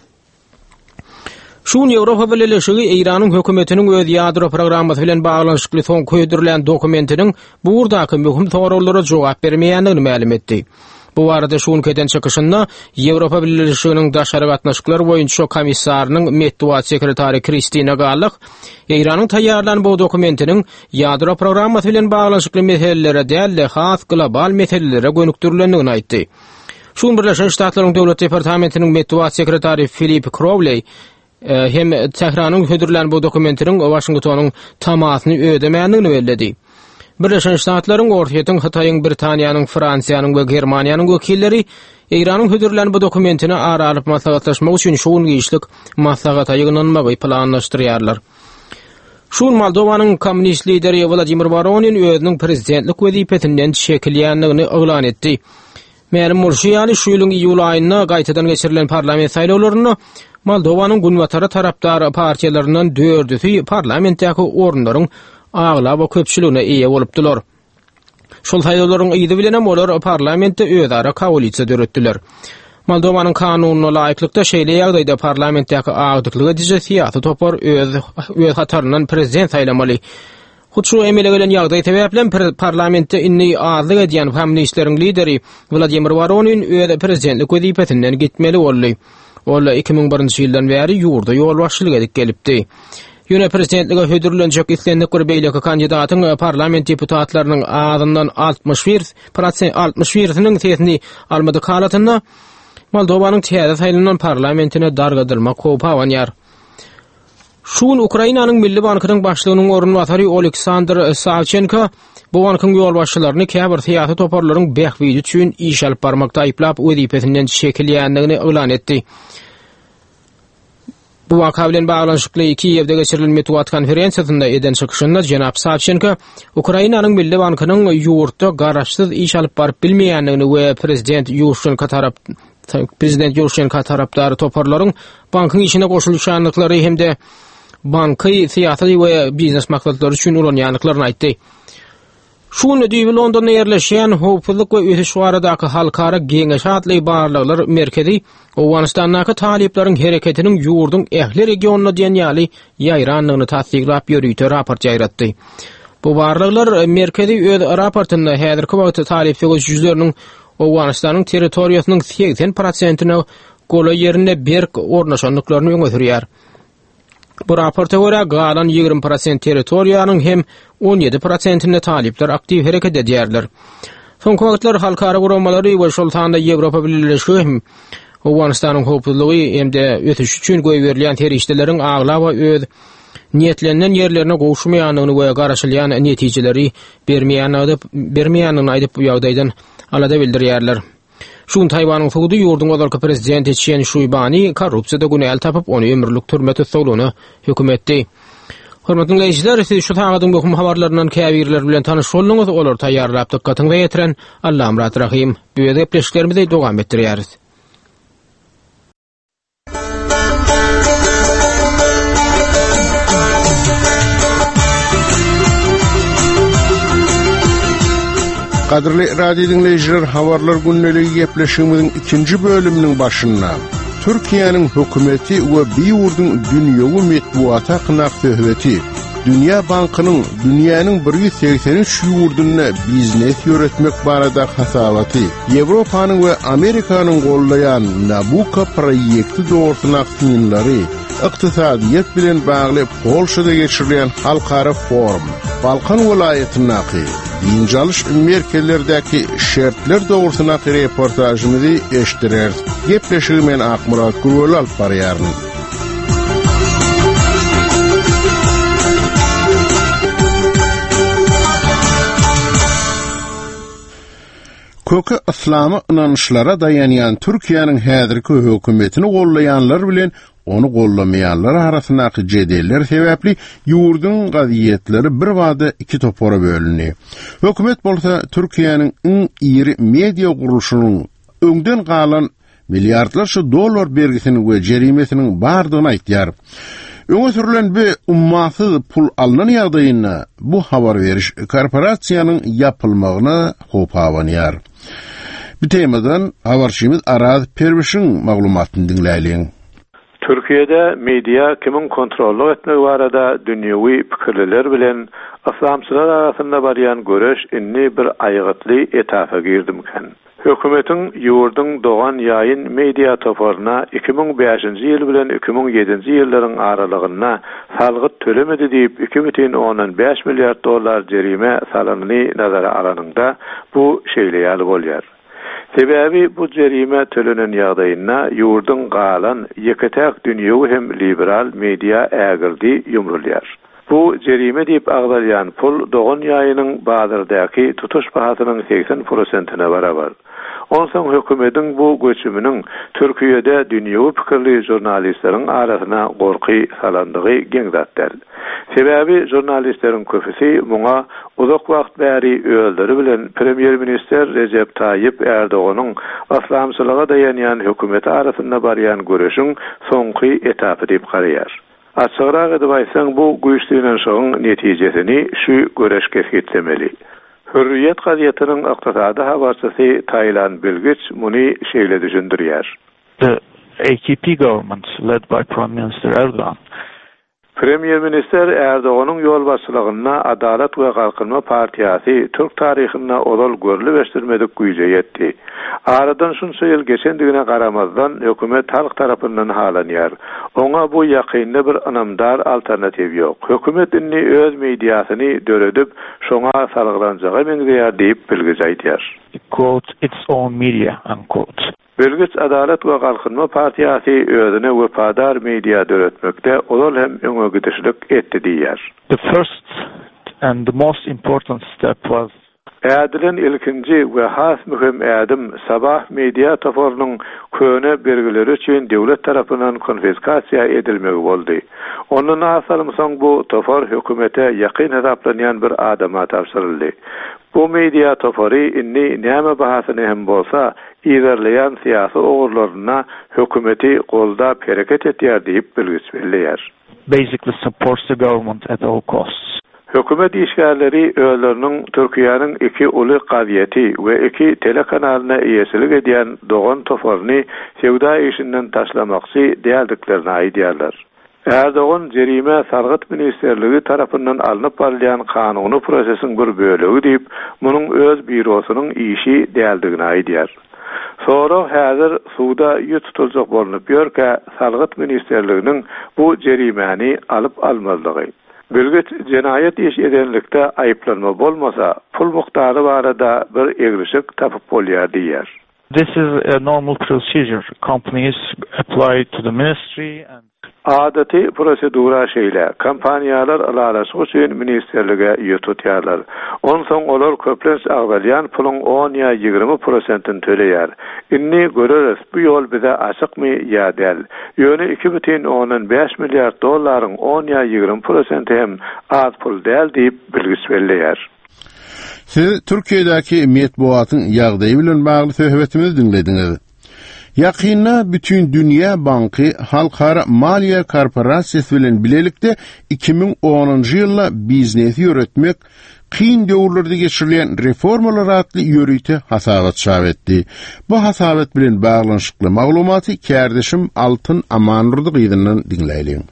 Şu gün Ýewropa Bileleşigi Eýranyň hökümetiniň öz ýadro programmasy bilen baglanyşykly soňky hödürlän dokumentiniň bu ugurdaky möhüm soraglara jogap bermeýändigini mälim etdi. Bu barada şu günki eden çykyşynda Ýewropa Bileleşiginiň daşary gatnaşyklar boýunça komissarynyň metbugat sekretary Kristina Gallak Eýranyň taýýarlan bu dokumentiniň ýadro programmasy bilen baglanyşykly meselelere däl-de has global meselelere gönükdirilendigini aýtdy. Şu gün Birleşen Ştatlaryň Döwlet Departamentiniň metbugat sekretary Filip Krowley hem Tähranyň hödürlän bu dokumentiniň Waşingtonyň tamasyny ödemändigini belledi. Birleşen Ştatlaryň, Orsýetiň, Hytaýyň, Britaniýanyň, Fransiýanyň we Germaniýanyň wekilleri Eýranyň hödürlän bu dokumentini ara alyp maslahatlaşmak üçin şu gün giçlik maslahata ýygnanmagy planlaşdyrýarlar. Şu gün Moldowanyň kommunist lideri Wladimir Woronin özüniň prezidentlik wezipesinden çekilýändigini yglan etdi. Mälim bolşy ýaly, şu ýylyň iýul aýynda gaýtadan geçirilen parlament saýlawlarynda Moldowanyň günbatara tarapdar partiýalaryndan dördüsi parlamentdäki orunlaryň aglaba köpçüligine eýe bolupdylar. Şol saýlawlaryň yzy bilenem olar parlamentde özara koalisiýa döretdiler. Moldowanyň kanunyna laýyklykda şeýle ýagdaýda parlamentdäki agdyklyk ediji syýasy topar öz öz hataryndan prezident saýlamaly. Hut şu emele gelen ýagdaý sebäpli parlamentde indi azlyk edýän kommunistleriň lideri Wladimir Woronin öz prezidentlik wezipesinden gitmeli boldy. Ol iki müň birinji ýyldan bäri ýurda ýolbaşçylyk edip gelipdi. Ýöne prezidentlige hödürlenjek islendik bir beýleki kandidatyň parlament deputatlarynyň azyndan altmyş bir prosent altmyş birisiniň sesini almadyk halatynda Moldowanyň täze saýlanan parlamentine dargadylmak howpy abanýar. Şu gün Ukrainanyň Milli bankynyň başlygynyň orunbasary Oleksandr Sawçenko bu bankyň ýolbaşçylaryny käbir syýasy toparlaryň bähbidi üçin iş alyp barmakda aýyplap wezipesinden çekilýändigini yglan etdi. Bu waka bilen baglanyşykly Kiýewde geçirilen metbugat konferensiýasynda eden çykyşynda jenap Sawçenko Ukrainanyň Milli bankynyň ýurtda garaşsyz iş alyp baryp bilmeýändigini we prezident Ýuşenko tarap prezident Ýuşenko tarapdary toparlaryň bankyň işine goşulyşandyklary hem-de banky syýasy we biznes maksatlary üçin ulanýandyklaryny aýtdy. Şu gün düýbi Londonda ýerleşýän Howpsuzlyk we ösüş baradaky halkara geňeşi atly barlaglar merkezi Owganystandaky talyplaryň hereketiniň ýurduň ähli regionyna diýen ýaly ýaýrandygyny tassyklap ýörite raport ýaýratdy. Bu barlaglar merkezi öz raportynda häzirki wagtda talyp söweşijileriniň Owganystanyň territoriýasynyň segsen prosentine golaý ýerinde berk ornaşandyklaryny öňe sürýär. Bu raporta görä galan ýigrimi prosent territoriýanyň hem on ýedi prosentinde talyplar aktiw hereket edýärler. Soňky wagtlar halkara guramalary we şol sanda Ýewropa Bileleşigi hem Owganystanyň howpsuzlygy hem-de ösüşi üçin goýberilýän serişdeleriň aglaba öz niýetlenilen ýerlerine gowuşmaýandygyny we garaşylýan netijeleri bermeýändigini aýdyp bu ýagdaýdan alada bildirýärler. Şu gün Taýwanyň sudy ýurduň ozalky prezidenti Çen Şuýbany korrupsiýada günäli tapyp, ony ömürlik türme tussaglygyna höküm etdi. Hormatly diňleýjiler, siz şu sagadyň möhüm habarlaryndan käbirleri bilen tanyş bolduňyz, olary taýýarlap dykgatyňyza ýetiren Allamyrat Rahym. Biz gepleşiklerimizi dowam etdirýäris. Gadyrly radio diňleýjiler, habarlar gündeligi gepleşigimiziň ikinji bölüminiň başynda Türkiýäniň hökümeti we bu ýurduň dünýewi metbugaty hakynda söhbeti, Dünýä Bankynyň dünýäniň bir ýüz segsen üç ýurdunda biznes ýöretmek barada hasabaty, Ýewropanyň we Amerikanyň gollaýan Nabucco proýekti dogrusynda synlary, ykdysadyýet bilen bagly Polşada geçirilýän halkara forum, Balkan welaýatyndaky dynç alyş merkezlerdäki şertler dogrusyndaky reportažymyzy eşitdireris. Gepleşigi men Akmyrat Gürweli alyp barýaryn. Köki yslamy ynançlara daýanýan Türkiýäniň häzirki hökümetini gollaýanlar bilen ony gollamaýanlar arasyndaky jedeller sebäpli ýurduň gazetleri birbada iki topara bölündi. Hökümet bolsa Türkiýäniň iň iri media gurluşynyň öňden galan milliardlarça dollar bergisiniň we jerimesiniň bardygyny aýtýar. Öňe sürülen bu ummasyz pul alnan ýagdaýynda bu habar beriş korporasiýanyň ýapylmagyna howp abanýar. Bu temadan habarçymyz Araz Perwişiň maglumatyny diňläýliň. Türkiýede media kimiň kontrollyk etmegi barada dünýewi pikirliler bilen yslamçylar arasynda barýan göreş indi bir aýgytly etapa girdimikä? Hökümetiň ýurduň Dogan Ýaýyn media toparyna iki müň bäşinji ýyl bilen iki müň ýedinji ýyllaryň aralygynda salgyt tölemedi diýip iki bütin ondan bäş milliard dollar jerime salanyny nazara alanyňda bu şeýle ýaly bolýar. Sebäbi bu jerime tölenen ýagdaýynda ýurduň galan ýeke-täk dünýewi hem liberal media ägirdi ýumrulýar. Bu jerime diýip agzalýan pul Dogan Ýaýynyň bazardaky tutuş bahasynyň segsen prosentine barabar. Onsoň hökümetiň bu göçüminiň Türkiýede dünýewi pikirli žurnalistleriň arasyna gorky salandygy geň zat däl. Sebäbi žurnalistleriň köpüsi muňa uzak wagt bäri özleri bilen premýer-ministr Rejep Taýyp Erdoganyň yslamçylyga daýanýan hökümeti arasynda barýan göreşiň soňky etapy diýip garaýar. Açygrak edip aýtsaň, bu güýç synanyşygyň netijesini şu göreş kesgitlemeli. Hürriýet gazetiniň ykdysady habarçysy Taylan Bilgiç muny şeýle düşündirýär. The A K P government led by Prime Minister Erdogan. Premýer-ministr Erdoganyň ýolbaşçylygynda Adalat we Galkynma partiýasy Türk taryhynda ozal görlüp eşidilmedik güýje ýetdi. Aradan şunça ýyl geçendigine garamazdan hökümet halk tarapyndan halanýar. Oňa bu ýakynda bir ynamdar alternatiw ýok. Hökümet indi öz mediasyny döredip, şoňa salgylanjaga meňzeýär diýip Bilgiç aýdýar. Quote, its own media, unquote. Bilgiç Adalat we Galkynma partiýasy özüne wepadar media döretmekde ozal hem öňe gidişlik etdi diýýär. The first and the most important step was Ädilen ilkinji we has möhüm ädim Sabah media toparynyň köne bergileri üçin döwlet tarapyndan konfiskasiýa edilmegi boldy. Ondan asalym soň bu topar hökümete ýakyn hesaplanýan bir adama tabşyryldy. Bu media topary indi näme bahasyny hem bolsa ilerleýän syýasy ugurlaryna hökümeti goldap hereket etýär diýip bilgiç belleýär. Basically supports the government at all costs. Hökümet işgärleri özleriniň Türkiýäniň iki uly gazeti we iki telekanalyna eýesilik edýän Dogan toparyny söwda işinden taşlamakçy däldiklerini aýdýarlar. Erdogan jerime salgyt ministerligi tarapyndan alnyp barylýan kanuny prosesiň bir bölegi diýip, munuň öz býurosynyň işi däldigini aýdýar. Sorag häzir suwda ýüz tutuljak bolunyp ýörkä salgyt ministerliginiň bu jerimäni alyp almazlygy. Bilgiç jenaýat iş edenlikde aýyplanma bolmasa, pul mukdary barada bir egrişik tapyp bolýar diýýär. This is a normal procedure. Companies apply to the ministry and Adaty prosedura şeýle. Kompaniýalar ylalaşyk üçin ministerlige ýüz tutýarlar. Onsoň olar köplenç agzalýan puluň on ýa ýigrimi prosentini töleýär. Indi göreris bu ýol bize açykmy ýa däl. Ýöne iki bütin ondan bäş milliard dollaryň on ýa ýigrimi prosenti hem az pul däl diýip bilgiç belleýär. Siz Türkiýedäki metbugatyň ýagdaýy bilen bagly söhbetimizi diňlediňiz. Ýakynda Bütindünýä Banky Halkara Maliýe Korporasiýasy bilen bilelikde iki müň onunjy ýylda biznesi ýöretmek kyn döwürlerde geçirilýän reformalar atly ýörite hasabat çap etdi. Bu hasabat bilen baglanyşykly maglumaty kärdeşim Altyn Amandurdy gyzyndan diňläýliň.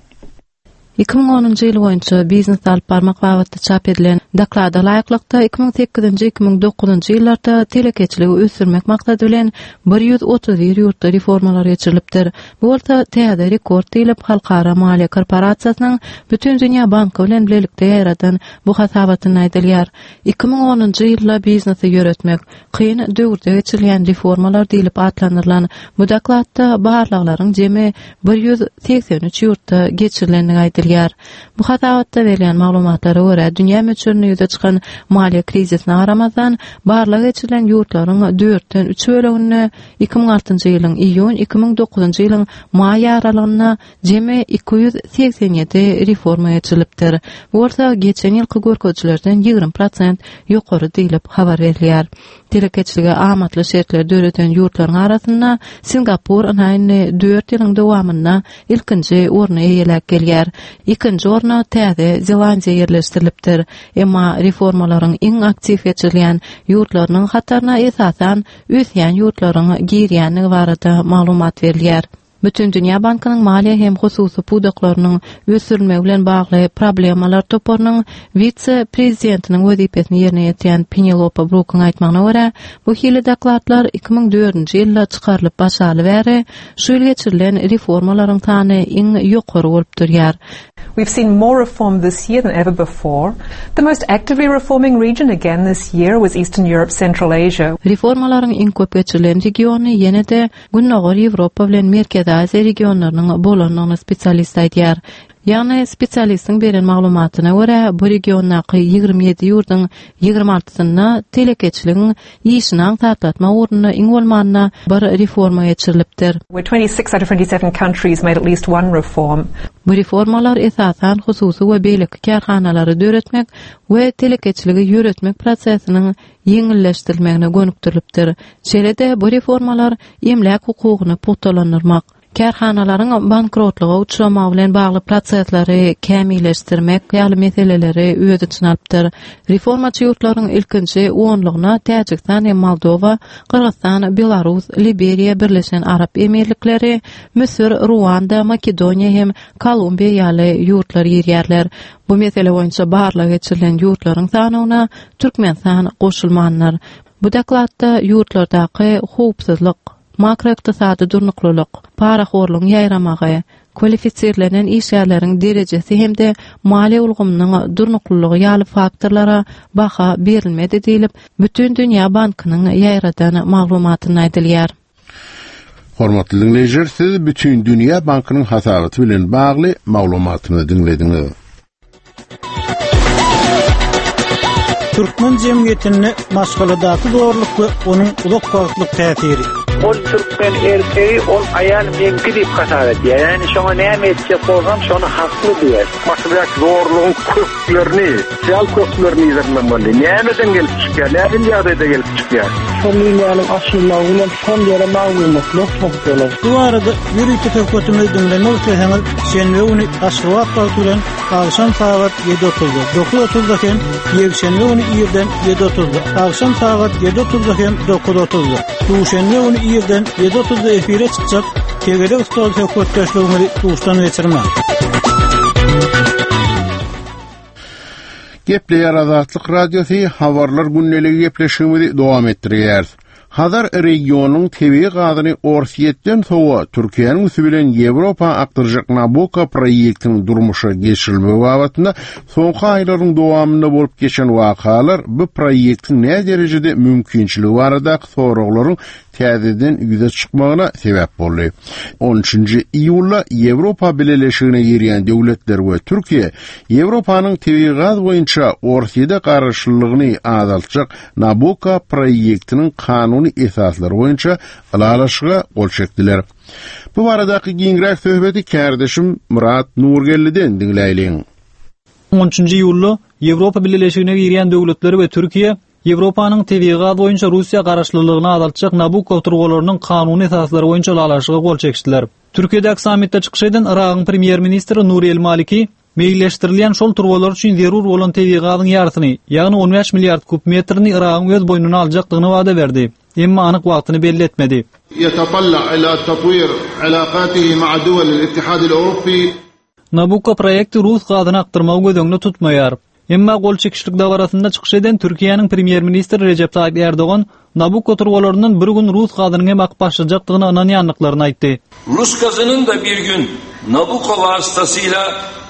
Iki müň onunjy ýyl boýunça biznes alyp barmak babatda çap edilen doklada laýyklykda iki müň sekizinji iki müň dokuzynjy ýyllarda telekeçiligi ösdürmek maksady bilen bir ýüz otuz bir ýurtda reformalar geçirilipdir. Bu bolsa täze rekord diýlip Halkara Maliýe Korporasiýasynyň Bütindünýä Banky bilen bilelikde ýaýradan bu hasabatynda aýdylýar. Iki müň onunjy ýylda biznesi ýöretmek kyn döwürde geçirilýän reformalar diýlip atlandyrylan bu dokladda barlaglaryň jemi bir ýüz segsen üç ýurtda geçirilendigi aýdylýar. Bu hasabatda berlen maglumatlara görä dünýä möçberinde ýüze çykan maliýe krizisine garamazdan barlag geçirilen ýurtlaryň dörtden üç böleginde iki müň altynjy ýylyň iýun iki müň dokuzynjy ýylyň maý aralygynda jemi iki ýüz segsen ýedi reforma geçirilipdir. Bu bolsa geçen ýylky görkezijilerden ýigrimi prosent ýokary diýlip habar berilýär. Telekeçilige amatly şertler döreden ýurtlaryň arasynda Singapur indi dört ýylyň dowamynda ilkinji orny eýeläp gelýär. Ikinji orna Täze Zelandiýa ýerleşdirilipdir. Emma reformalaryň iň aktiw geçirilýän ýurtlarynyň hataryna esasan ösýän ýurtlaryň girýändigi barada maglumat berilýär. Bütindünýä Bankynyň maliýe hem hususy pudaklarynyň ösdürilmegi bilen bagly problemalar toparynyň wise-prezidentiniň wezipesini ýerine ýetirýän Penelope Brookyň aýtmagyna görä, bu hili dokladlar iki müň dördünji ýylda çykarylyp başlaly bäri şu ýyl geçirilen reformalaryň sany iň ýokary bolup durýar. We've seen more reform this year than ever before. The most actively reforming region again this year was Eastern Europe, Central Asia. Reformalaryň iň köp geçirilen regiony ýene-de Gündogar Ýewropa bilen Merkezi Aziýa regionlarynyň bolandygyny spesialist aýdýar. Ýagny spesialistiň beren maglumatyna görä, bu regiondaky ýigrimi ýedi ýurduň ýigrimi altysynda telekeçiligiň işini aňsatlatmak ugrunda iň bolmanda bir reforma geçirilipdir. Where twenty-six out of twenty-seven countries made at least one reform. Bu reformalar esasan hususy we beýleki kärhanalary döretmek we telekeçiligi ýöretmek prosesiniň ýeňilleşdirilmegine gönükdirilipdir. Şeýle-de bu reformalar emläk hukugyny pugtalandyrmak, kärhanalaryň bankrotlyga uçramagy bilen bagly prosesleri kämilleşdirmek ýaly meseleleri öz içine alypdyr. Reformaçy ýurtlaryň ilkinji onlugyna Täjigistan hem Moldowa, Gyrgyzstan, Belarus, Liberiýa, Birleşen Arap Emirlikleri, Müsür, Ruanda, Makedoniýa hem Kolumbiýa ýaly ýurtlar girýärler. Bu mesele boýunça barlag geçirilen ýurtlaryň sanyna Türkmenistan goşulmandyr. Bu dokladda ýurtlardaky howpsuzlyk, makroykdysady durnuklylyk, parahorlugyň ýaýramagy, kwalifisirlenen işgärleriň derejesi hem-de maliýe ulgamynyň durnuklylygy ýaly faktorlara baha berilmedi diýlip, Bütindünýä Bankynyň ýaýradan maglumatynda aýdylýar. Hormatly dinleýjiler, siz Bütindünýä Bankynyň hasabaty bilen bagly maglumatyny diňlediňiz. Türkmen jemgyýetinde maşgaladaky zorluk we onuň uzak wagtlyk täsiri. Ol türkmen erkeği, ol aýal meňki diýip hasap edýär. Ýagny şoňa näme etjek bolsam, şony hakly diýer. Maşgaladaky zorlugyň köklerini, sosial köklerini ýerlemeli. Nämeden gelip çykýar, nähili ýagdaýda gelip çykýar? Şol liniýanyň açylmagy bilen şol ýere maglumatlar toplanar. Bu arada ýörite söhbetimizi diňlemek isleseňiz, şenbe güni Aşgabat wagty bilen akşam sagat ýedi otuzda, dokuz otuzda hem ýekşenbe güni irden ýedi otuzda, akşam sagat ýedi otuzda hem dokuz otuzda, duşenbe güni irden ýedi otuzda efire çykjak Tegelek stol söhbetdeşligimizi duşdan geçirmäň. Gepleýär Azatlyk Radiosy, habarlar gündeligi gepleşigimizi dowam etdirýär. Hazar regionyň tebigy gazyny Orsýetden sowa Türkiýäniň üsti bilen Ýewropa akdyrjak Nabucco proýektiniň durmuşa geçirilmegi babatynda soňky aýlaryň dowamynda bolup geçen wakalar bu proýektiň näderejede derejede mümkinçiligi baradaky soraglaryň täzeden ýüze çykmagyna sebäp boldy. on üçünji iýulda Ýewropa Bileleşigine girýän döwletler we Türkiýe Ýewropanyň tebigy gaz boýunça Orsýete garaşlylygyny azaltjak Nabucco proýektiniň kanuny esaslary boýunça ylalaşyga gol çekdiler. Bu baradaky giňräk söhbeti kärdeşim Murat Nurgelliden diňläýliň. on üçünji iýulda Ýewropa Bileleşigine girýän döwletler we Türkiýe Ýewropanyň tebigy gaz boýunça Russiýa garaşlylygyny azaltjak Nabucco turbalarynyň kanuny esaslary boýunça ylalaşyga gol çekişdiler. Türkiýedäki sammitde çykyş eden Yragyň premýer-ministri Nuri El Maliki meýilleşdirilýän şol turbalar üçin zerur bolan tebigy gazyň ýarysyny, ýagny on bäş milliard kub metrini Yragyň öz boýnuna aljakdygyny wada berdi. Emma anyk wagtyny belli etmedi. يتطلع إلى تطوير علاقاته مع دول الاتحاد الأوروبي Nabucco proýekti rus gazyny akdyrmagy göz öňünde tutmaýar. Emma gol çekişlik dabarasynda çykyş eden Türkiýäniň premýer-ministri Rejep Taýyp Erdogan Nabucco turbalaryndan bir gün rus gazynyň hem akyp başlajakdygyna ynanýandyklaryny aýtdy. Rus gazının da bir gün Nabucco vasıtasıyla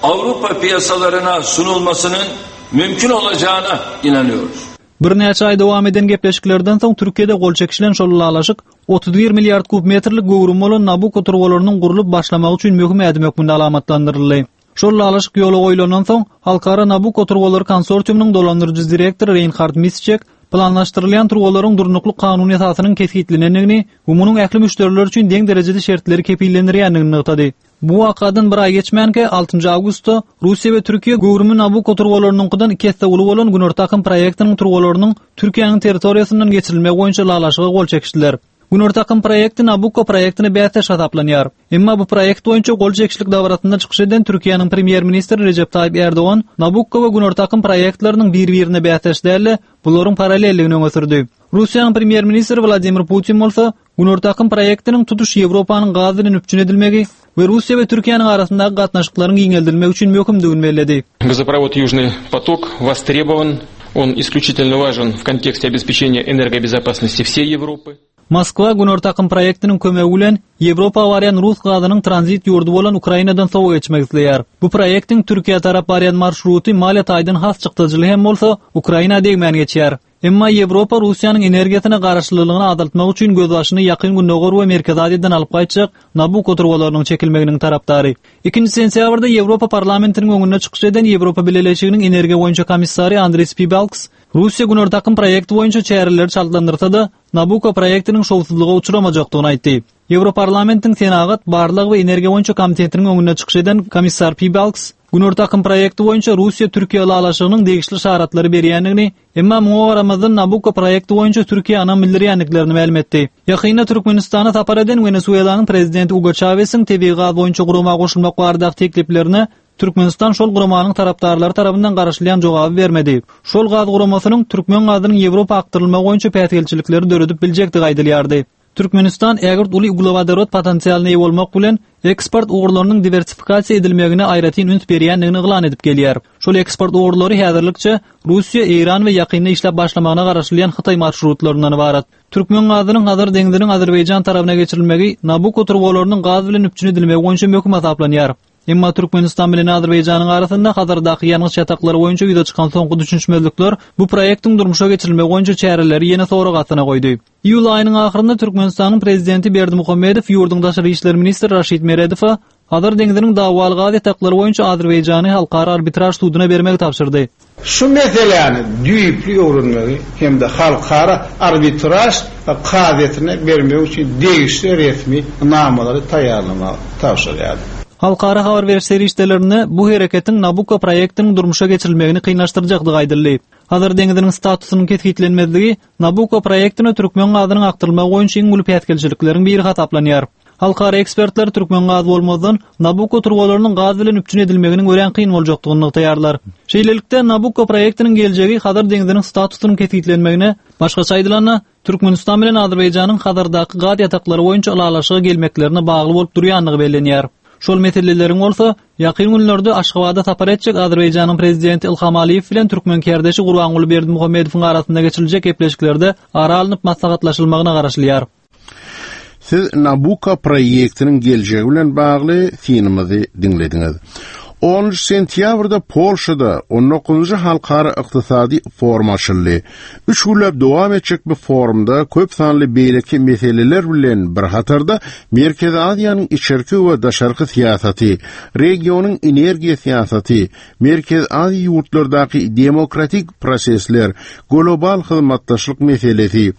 Avrupa piyasalarına sunulmasının mümkün olacağına inanıyoruz. Birnäçe aý dowam eden gepleşiklerden soň Türkiýede gol çekişilen şol ylalaşyk otuz bir milliard kub metrlik göwrüm bolan Nabucco turbalarynyň gurlup başlamagy üçin möhüm ädim hökmünde alamatlandyryldy. Şol ylalaşyk ýola goýlandan soň Halkara Nabucco turbalary konsorsiumynyň dolandyryjy direktory Reinhard Misçek planlaşdyrylýan turbalaryň durnukly kanuny esasynyň kesgitlenendigini we munuň ähli müşderiler üçin deň derejede şertleri kepillendirýändigini nygtady. Bu wakadan bir aý geçmänkä altynjy awgustda Russiýa we Türkiýe göwrümi Nabucco turbalarynyňkydan iki esse uly bolan Günorta akym proýektiniň turbalarynyň Türkiýäniň territoriýasyndan geçirilmegi boýunça ylalaşyga gol çekişdiler. Günorta akym proýekti Nabucco proýektine bäsdeş hasaplanýar. Emma bu proýekt boýunça gol çekişlik dabarasynda çykyş eden Türkiýäniň premýer-ministri Rejep Taýyp Erdogan Nabucco we Günorta akym proýektleriniň bir-birine bäsdeş däl-de, bularyň paralelligini öňe sürdi. Russiýanyň premýer-ministri Wladimir Putin bolsa Günorta akym proýektiniň tutuş Ýewropanyň gaz bilen üpjün edilmegi we Russiýa we Türkiýäniň arasyndaky gatnaşyklaryň giňeldilmegi üçin möhümdigini belledi. Газопровод Южный поток востребован, он исключительно важен в контексте обеспечения энергобезопасности всей Европы. Moskwa Günorta akym proýektiniň kömegi bilen Ýewropa barýan rus gazynyň tranzit ýurdy bolan Ukrainadan sowa geçmek isleýär. Bu proýektiň Türkiýä tarap barýan marşruty maliýe taýdan has çykdajyly hem bolsa Ukraina degmän geçýär. Emma Ýewropa Russiýanyň energiýasyna garaşlylygyny azaltmak üçin gözbaşyny ýakyn Gündogar we Merkezi Aziýadan alyp gaýtjak Nabucco turbalarynyň çekilmeginiň tarapdary. Ikinji sentýabrda Ýewropa parlamentiniň öňünde çykyş eden Ýewropa Bileleşiginiň energiýa boýunça komissary Andris Piebalgs Russiýa Günorta akym proýekti boýunça çäreleri çaltlandyrsa-da Nabucco proýektiniň şowsuzlyga uçramajakdygyny aýtdy. Ýewroparlamentiň Senagat, Barlag we Energiýa boýunça komitetiniň öňünde çykyş eden komissar Piebalgs Günorta akym proýekti boýunça Russiýa-Türkiýe ylalaşygynyň degişli şaratlary berýändigini, emma muňa garamazdan Nabucco proýekti boýunça Türkiýe ynam bildirýändiklerini mälim etdi. Ýakynda Türkmenistana sapar eden Wenesuelanyň prezidenti Hugo Çawesiň tebigy gaz boýunça gurama goşulmak baradaky tekliplerine Türkmenistan şol guramanyň tarapdarlary tarapyndan garaşylýan jogaby bermedi. Şol gaz guramasynyň türkmen gazynyň Ýewropa akdyrylmagy boýunça päsgelçilikleri döredip biljekdigi aýdylýardy. Türkmenistan ägirt uly uglewodorod potensialyna eýe bolmak bilen eksport ugurlarynyň diwersifikasiýa edilmegine aýratyn üns berýändigini yglan edip gelýär. Şol eksport ugurlary häzirlikçe Russiýa, Eýran we ýakynda işläp başlamagyna garaşylýan Hytaý marşrutlaryndan ybarat. Türkmen gazynyň Hazar deňziniň Azerbaýjan tarapyna geçirilmegi Nabucco turbalarynyň gaz bilen üpjün edilmegi boýunça möhüm hasaplanýar. Emma Türkmenistan bilen Azerbaýjanyň arasynda Hazardaky ýangyç ýataklary boýunça ýüze çykan soňky düşünişmezlikler bu proýektiň durmuşa geçirilmegi boýunça çäreleri ýene sorag astyna goýdy. Iýul aýynyň ahyrynda Türkmenistanyň prezidenti Berdimuhamedow ýurduň daşary işler ministri Raşid Meredowa Hazar deňziniň dawaly gaz ýataklary boýunça Azerbaýjany halkara arbitraž suduna bermegi tabşyrdy. Şu meseläni düýpli öwrenmegi hem-de halkara arbitraž kazyýetine bermek üçin degişli resmi namalary taýýarlamagy tabşyrýardy. Halkara habar beriş serişdelerinde bu hereketiň Nabucco proýektiniň durmuşa geçirilmegini kynlaşdyrjakdygy aýdyldy. Hazar deňziniň statusynyň kesgitlenmezligi Nabucco proýektine türkmen gazynyň akdyrylmagy boýunça iň uly päsgelçilikleriň biri hasaplanýar. Halkara ekspertler türkmen gaz bolmazdan Nabucco turbalarynyň gaz bilen üpjün edilmeginiň örän kyn boljakdygyny nygtaýarlar. Şeýlelikde Nabucco proýektiniň geljegi Hazar deňziniň statusynyň kesgitlenmegine, başgaça aýdylanda Türkmenistan bilen Azerbaýjanyň Hazardaky gaz ýataklary boýunça ylalaşyga gelmeklerine bagly bolup durýandygy bellenýär. Şol meseleleriň bolsa ýakyn günlerde Aşgabada sapar etjek Azerbaýjanyň prezidenti Ilham Aliýew bilen türkmen kärdeşi Gurbanguly Berdimuhamedowyň arasynda geçiriljek gepleşiklerde ara alnyp maslahatlaşylmagyna garaşylýar. Siz Nabucco proýektiniň geljegi bilen bagly synymyzy diňlediňiz. Onuncu sentýabrda Polşada on dokuzunjy halkara ykdysady forum açyldy. Üç günläp dowam etjek bu forumda köp sanly beýleki meseleler bilen bir hatarda Merkezi Aziýanyň içerki we daşarky syýasaty, regionyň energiýa syýasaty, Merkezi Aziýa ýurtlardaky demokratik prosesler, global hyzmatdaşlyk meselesi,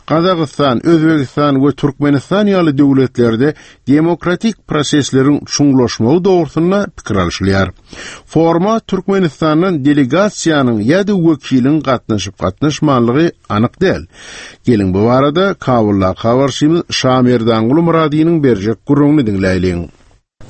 Gazagystan, Özbegistan we Türkmenistan ýaly döwletlerde demokratik prosesleriň çuňlaşmagy dogrusynda pikir alşylýar. garaşylýar. Foruma Türkmenistandan delegasiýanyň ýa-da wekiliň gatnaşyp gatnaşmanlygy anyk däl. Geliň bu barada Kabuldaky habarçymyz Şamerdanguly Myradynyň berjek gürrüňini diňläýliň.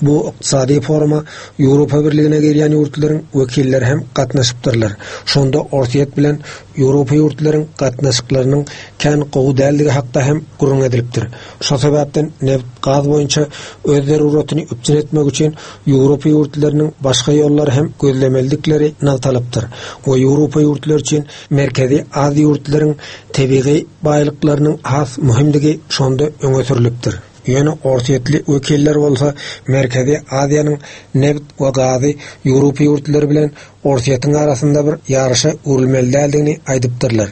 Bu ykdysady foruma Ýewropa Birligine girýän ýurtlaryň wekilleri hem gatnaşypdyrlar. Şonda Orsýet bilen Ýewropa ýurtlaryň gatnaşyklarynyň kän gowy däldigi hakda hem gürrüň edilipdir. Şo sebäpden neft gaz boýunça öz zaruratyny üpjün etmek üçin Ýewropa ýurtlarynyň başga ýollary hem gözlemelidikleri nygtalypdyr. We Ýewropa ýurtlary üçin Merkezi Aziýa ýurtlaryň tebigy baýlyklarynyň has möhümdigi şonda öňe sürülipdir. Ýöne Orsýetli wekiller bolsa Merkezi Aziýanyň neft we gazy Ýewropa ýurtlary bilen Orsýetiň arasynda bir ýaryşa öwrülmeli däldigini aýdypdyrlar.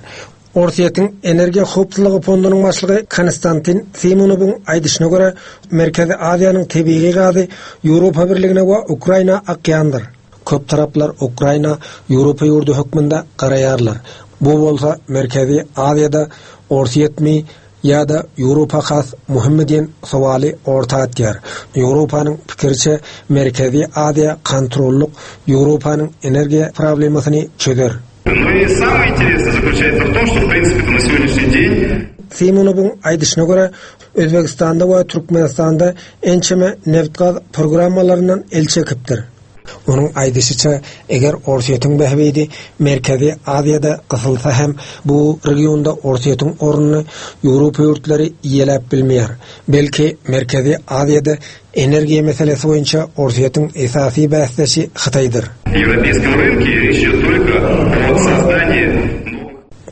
Orsýetiň Energiýa howpsuzlygy fondunyň başlygy Konstantin Simonowyň aýdyşyna görä, Merkezi Aziýanyň tebigy gazy Ýewropa Birligine we Ukraina akýandyr. Köp taraplar Ukraina Ýewropa ýurdy hökmünde garaýarlar. Bu bolsa Merkezi Aziýada Orsýetmi ýa-da Ýewropa has möhümmi diýen sowaly orta atýar. Ýewropanyň pikiriçe Merkezi Aziýa kontrollyk Ýewropanyň energiýa problemasyny çözer. Ну и самое интересное заключается в том, что в принципе на сегодняшний день Simonowyň aýdyşyna görä, Özbegistanda we Türkmenistanda ençeme neft-gaz programmalaryndan el çekipdir. Onuň aýdyşyça, eger Orsýetiň bähbidi Merkezi Aziýada gysylsa hem bu regionda Orsýetiň ornuny Ýewropa ýurtlary ýeläp bilmeýär. Belki Merkezi Aziýada energiýa meselesi boýunça Orsýetiň esasy bäsdeşi Hytaýdyr. европейском рынке речь идет только о создании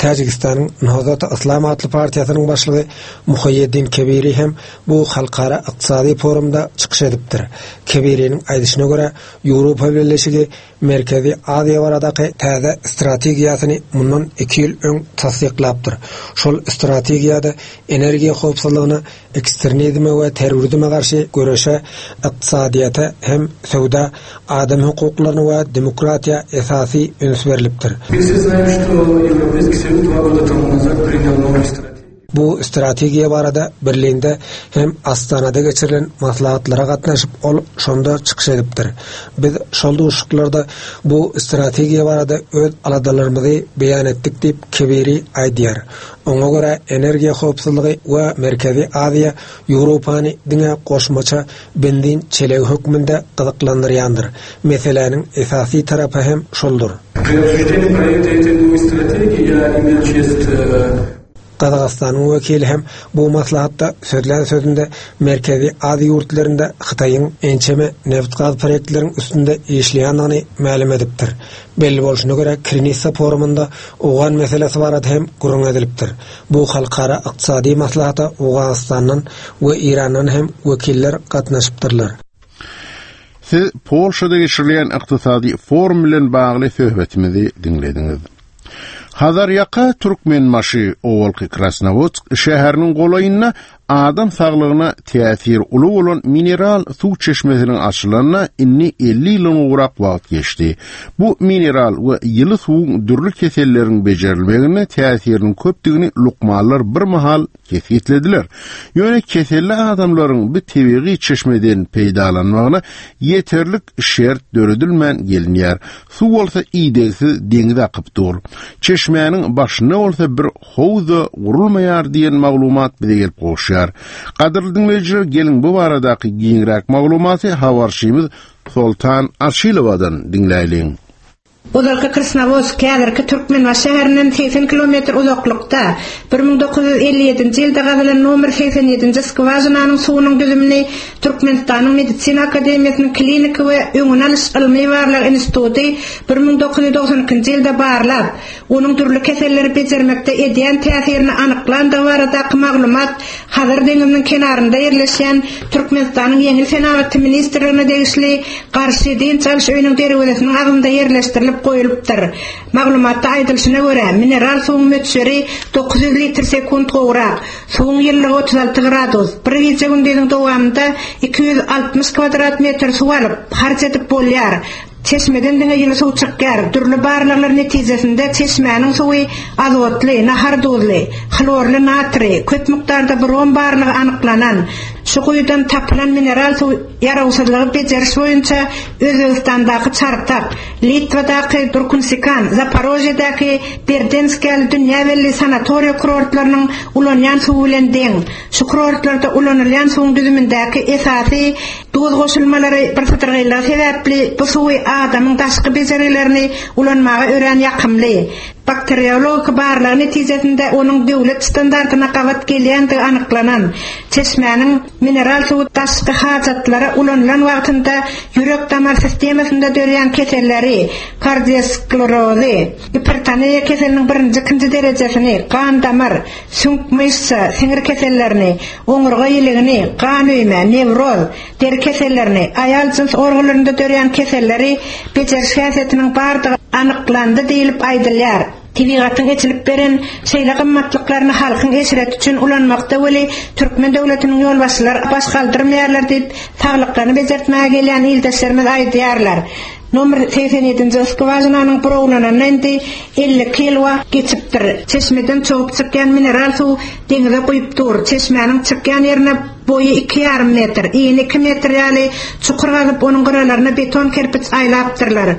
Täjigistanyň Nahzat Islam atly partiýasynyň başlygy Muhaýeddin Kebiri hem bu halkara ykdysady forumda çykyş edipdir. Kebiriniň aýdyşyna görä, Ýewropa Birleşigi Merkezi Aziýa baradaky täze strategiýasyny mundan iki ýyl öň tassyklapdyr. Şol strategiýada energiýa howpsuzlygyna, ekstremizme we terrorizme garşy göreşe, ykdysadyýete hem söwda, adam hukuklaryna we demokratiýa esasy üns berilipdir. Мы все знаем, что Европейский Союз два года тому назад принял новую стратегию. Bu strategiýa barada Berlinde hem Astanada geçirilen maslahatlara gatnaşyp ol şonda çykyş edipdir. Biz şol duşuşyklarda bu strategiýa barada öz aladalarymyzy beýan etdik diýip Kebiri aýdýar. Oňa görä energiýa howpsuzlygy we Merkezi Aziýa Ýewropany diňe goşmaça benzin çelegi hökmünde gyzyklandyrýandyr. Meseläniň esasy tarapy hem şoldur. При обсуждении проекта этой новой стратегии я имел честь э, Gazagystanyň wekili hem bu maslahatda sözlän sözünde Merkezi Aziýa ýurtlarynda Hytaýyň ençeme neft-gaz proýektleriniň üstünde işleýändigini mälim edipdir. Belli bolşuna görä Krinissa forumynda Owgan meselesi barada hem gürrüň edilipdir. Bu halkara ykdysady maslahata Owganystandan we Irandan hem wekiller gatnaşypdyrlar. Siz Polşada geçirilen ykdysady forum bilen bagly söhbetimizi diňlediňiz. Hazarýaka Türkmenbaşy owalky Krasnowodsk şäheriniň golaýynda adam saglygyna täsir uly bolan mineral suw çeşmesiniň açylanyna indi elli ýyldan gowrak wagt geçdi. Bu mineral we ýyly suwuň dürli keselleriň bejerilmegine täsiriniň köpdügini lukmanlar bir mahal kesgitlediler. Ýöne keselli adamlaryň bu tebigy çeşmeden peýdalanmagyna ýeterlik şert döredilmän gelinýär. Suw bolsa idegsiz deňize akyp dur. Çeşmäniň başynda bolsa bir howza gurulmaýar diýen maglumat bize gelip gowuşýar. Gadyrly diňleýjiler, geliň bu baradaky giňräk maglumaty habarçymyz Soltan Aşylowadan diňläýliň. Ozalky Krasnowodsk häzirki Türkmenbaşy şäherinden segsen kilometr uzaklykda bir müň dokuz ýüz elli ýedinji ýylda gazylan nomer segsen ýedinji skwažinanyň suwunyň düzümini Türkmenistanyň Medisina Akademiýasynyň Kliniki we Öňüni alyş ylmy barlag instituty bir müň dokuz ýüz doksan ikinji ýylda barlap, onuň dürli keselleri bejermekde edýän täsirini anyklandygy baradaky maglumat Hazar deňiziniň kenarynda ýerleşýän Türkmenistanyň Ýeňil senagaty ministrligine degişli Garşy dynç alyş öýüniň derwezesiniň agzynda ýerleşdirilip goýulypdyr. Maglumatda aýdylyşyna görä, mineral suwuň möçberi dokuz ýüz litr sekunt gowrak, suwuň ýyllygy otuz alty gradus, bir gije gündiziň dowamynda iki ýüz altmyş kvadrat metr suw alyp, harç edip bolýar. Çeşmeden diňe ýyly suw çykýar. Dürli barlaglar netijesinde çeşmäniň suwy azotly, nahar duzly, hlorly natriý, köp mukdarda brom barlygy anyklanan. Şu guýudan tapylan mineral suw ýarawsyzlygy bejeriş boýunça Özbegistandaky Çartak, Litwadaky Durkunsikan, Zaporožýedäki Berdensk ýaly dünýä belli sanatoriýa kurortlarynyň ulanýan suwy bilen deň. Şu kurortlarda ulanylýan suwuň düzümindäki esasy duz goşulmalary birsydyrgynlygy sebäpli bu suwy adamyň daşky bejergilerini ulanmaga örän ýakymly. Bakteriologik barlagy netijesinde onuň döwlet standartyna gabat gelýändigi anyklanan. Çeşmäniň mineral suwy daşky hajatlara ulanylan wagtynda ýürek-damar sistemasynda döreýän keselleri, kardiosklerozy, gipertoniýa keseliniň birinji, ikinji derejesini, gan-damar, süňk myşsa, siňir kesellerini, oňurga ýiligini, gan öýme, newroz, deri kesellerini, aýal jyns organlarynda döreýän keselleri bejeriş häsiýetiniň bardygy anyklandy diýlip aýdylýar. Tebigatyň eçilip beren şeýle gymmatlyklaryny halkyň eşreti üçin ulanmakda weli türkmen döwletiniň ýolbaşçylary baş galdyrmaýarlar diýip, saglyklaryny bejertmäge gelýän ildeşlerimiz aýdýarlar. Nomer segsen ýedinji skwažinanyň burawlananyna indi elli iki ýyl wagt geçipdir. Çeşmeden çogup çykýan mineral suw deňize guýup dur. Çeşmäniň çykýan ýerine boýy iki ýarym metr, ini iki metr ýaly çukur gazyp, onuň gyralaryna beton kerpiç aýlapdyrlar.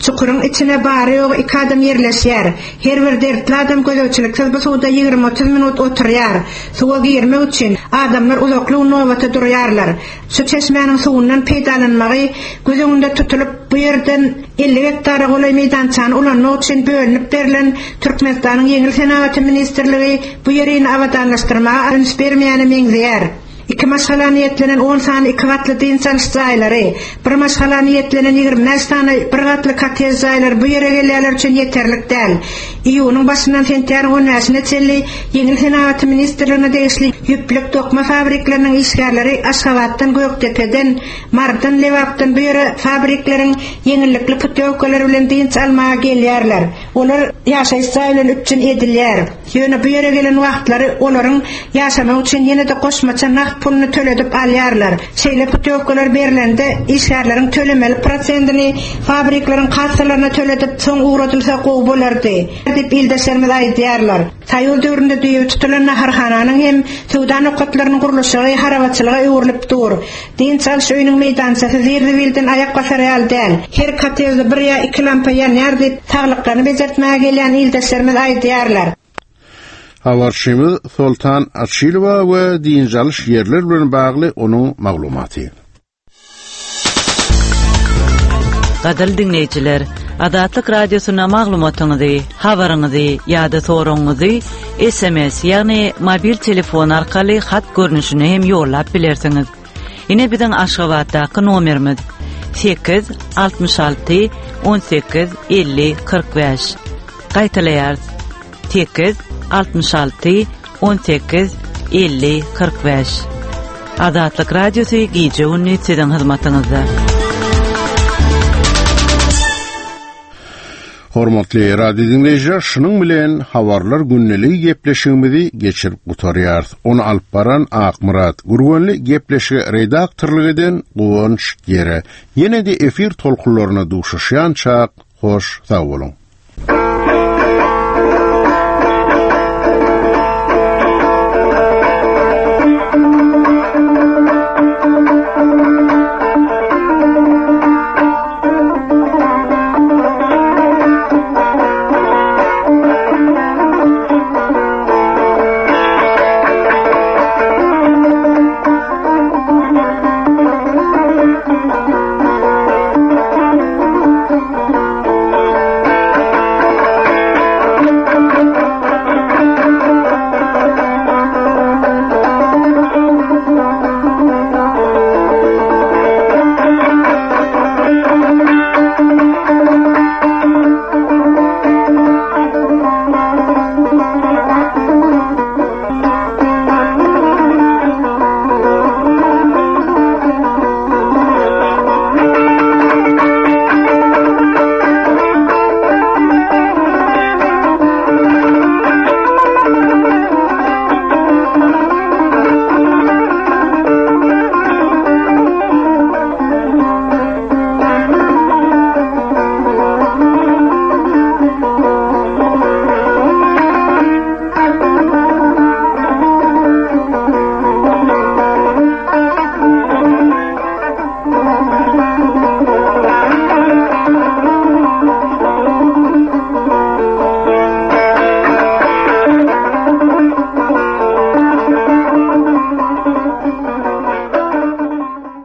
Çukuryň içine bary-ýogy iki adam ýerleşýär. Her bir dertli adam gözegçiliksiz bu suwda ýigrimi-otuz minut oturýar. Suwa girmek üçin adamlar uzakly gün nobata durýarlar. Şu çeşmäniň suwundan peýdalanmagy göz öňünde tutulyp, bu ýerden elli gektara golaý meýdançany ulanmak üçin bölünip berlen Türkmenistanyň Ýeňil senagaty ministrligi bu ýerini abadanlaşdyrmaga üns bermeýäne meňzeýär. Iki maşgala niýetlenen on sany iki gatly dynç alyş jaýlary, bir maşgala niýetlenen ýigrimi bäş sany bir gatly kottej jaýlary bu ýere gelýänler üçin ýeterlik däl. Iýunyň başyndan sentýabryň on bäşine çenli Ýeňil senagaty ministrligine degişli ýüplük dokma fabrikleriniň işgärleri Aşgabatdan, Gökdepeden, Marydan, Lebapdan bu ýere fabrikleriň ýeňillikli putýowkalary bilen dynç almaga gelýärler. Olar ýaşaýyş jaý bilen üpjün edilýär. Ýöne bu ýere gelen wagtlary olaryň ýaşamagy üçin ýene-de goşmaça nagt puluny töledip alýarlar. Şeýle putýowkalar berlende işgärleriň tölemeli prosentini fabrikleriň kassalaryna töledip, soň ugradylsa gowy bolardy diýip ildeşlerimiz aýdýarlar. Soýuz döwründe düýbi tutulan naharhananyň hem söwda nokatlarynyň gurluşygy harabaçylyga öwrülip dur. Dynç alyş öýüniň meýdançasy zir-zibilden aýak basar ýaly däl. Her kottejde bir ýa iki lampa ýanýar diýip, saglyklaryny bejertmäge gelýän ildeşlerimiz aýdýarlar. Habarçymyz Soltan Açilowa we dynç alyş ýerler bilen bagly onuň maglumaty. Gadyrly diňleýjiler, Azatlyk Radiosyna maglumatyňyzy, habaryňyzy ýa-da soragyňyzy S M S, ýagny mobil telefon arkaly hat görnüşine hem ýollap bilersiňiz. Ine biziň Aşgabatdaky nomerimiz sekiz altmyş alty on sekiz elli kyrk bäş. Gaýtalaýarys. Sekiz altmyş alty on sekiz elli kyrk bäş. Azatlyk Radiosy gije gündüz siziň hyzmatyňyzda. Hormatly radio dinleýjiler, şunuň bilen habarlar gündeligi gepleşigimizi geçirip gutarýarys. Ony alyp baran Akmyrat Gurbanly, gepleşige redaktorlyk eden Guwanç Gere. Ýene de efir tolkunlaryna duşuşýança hoş sag boluň.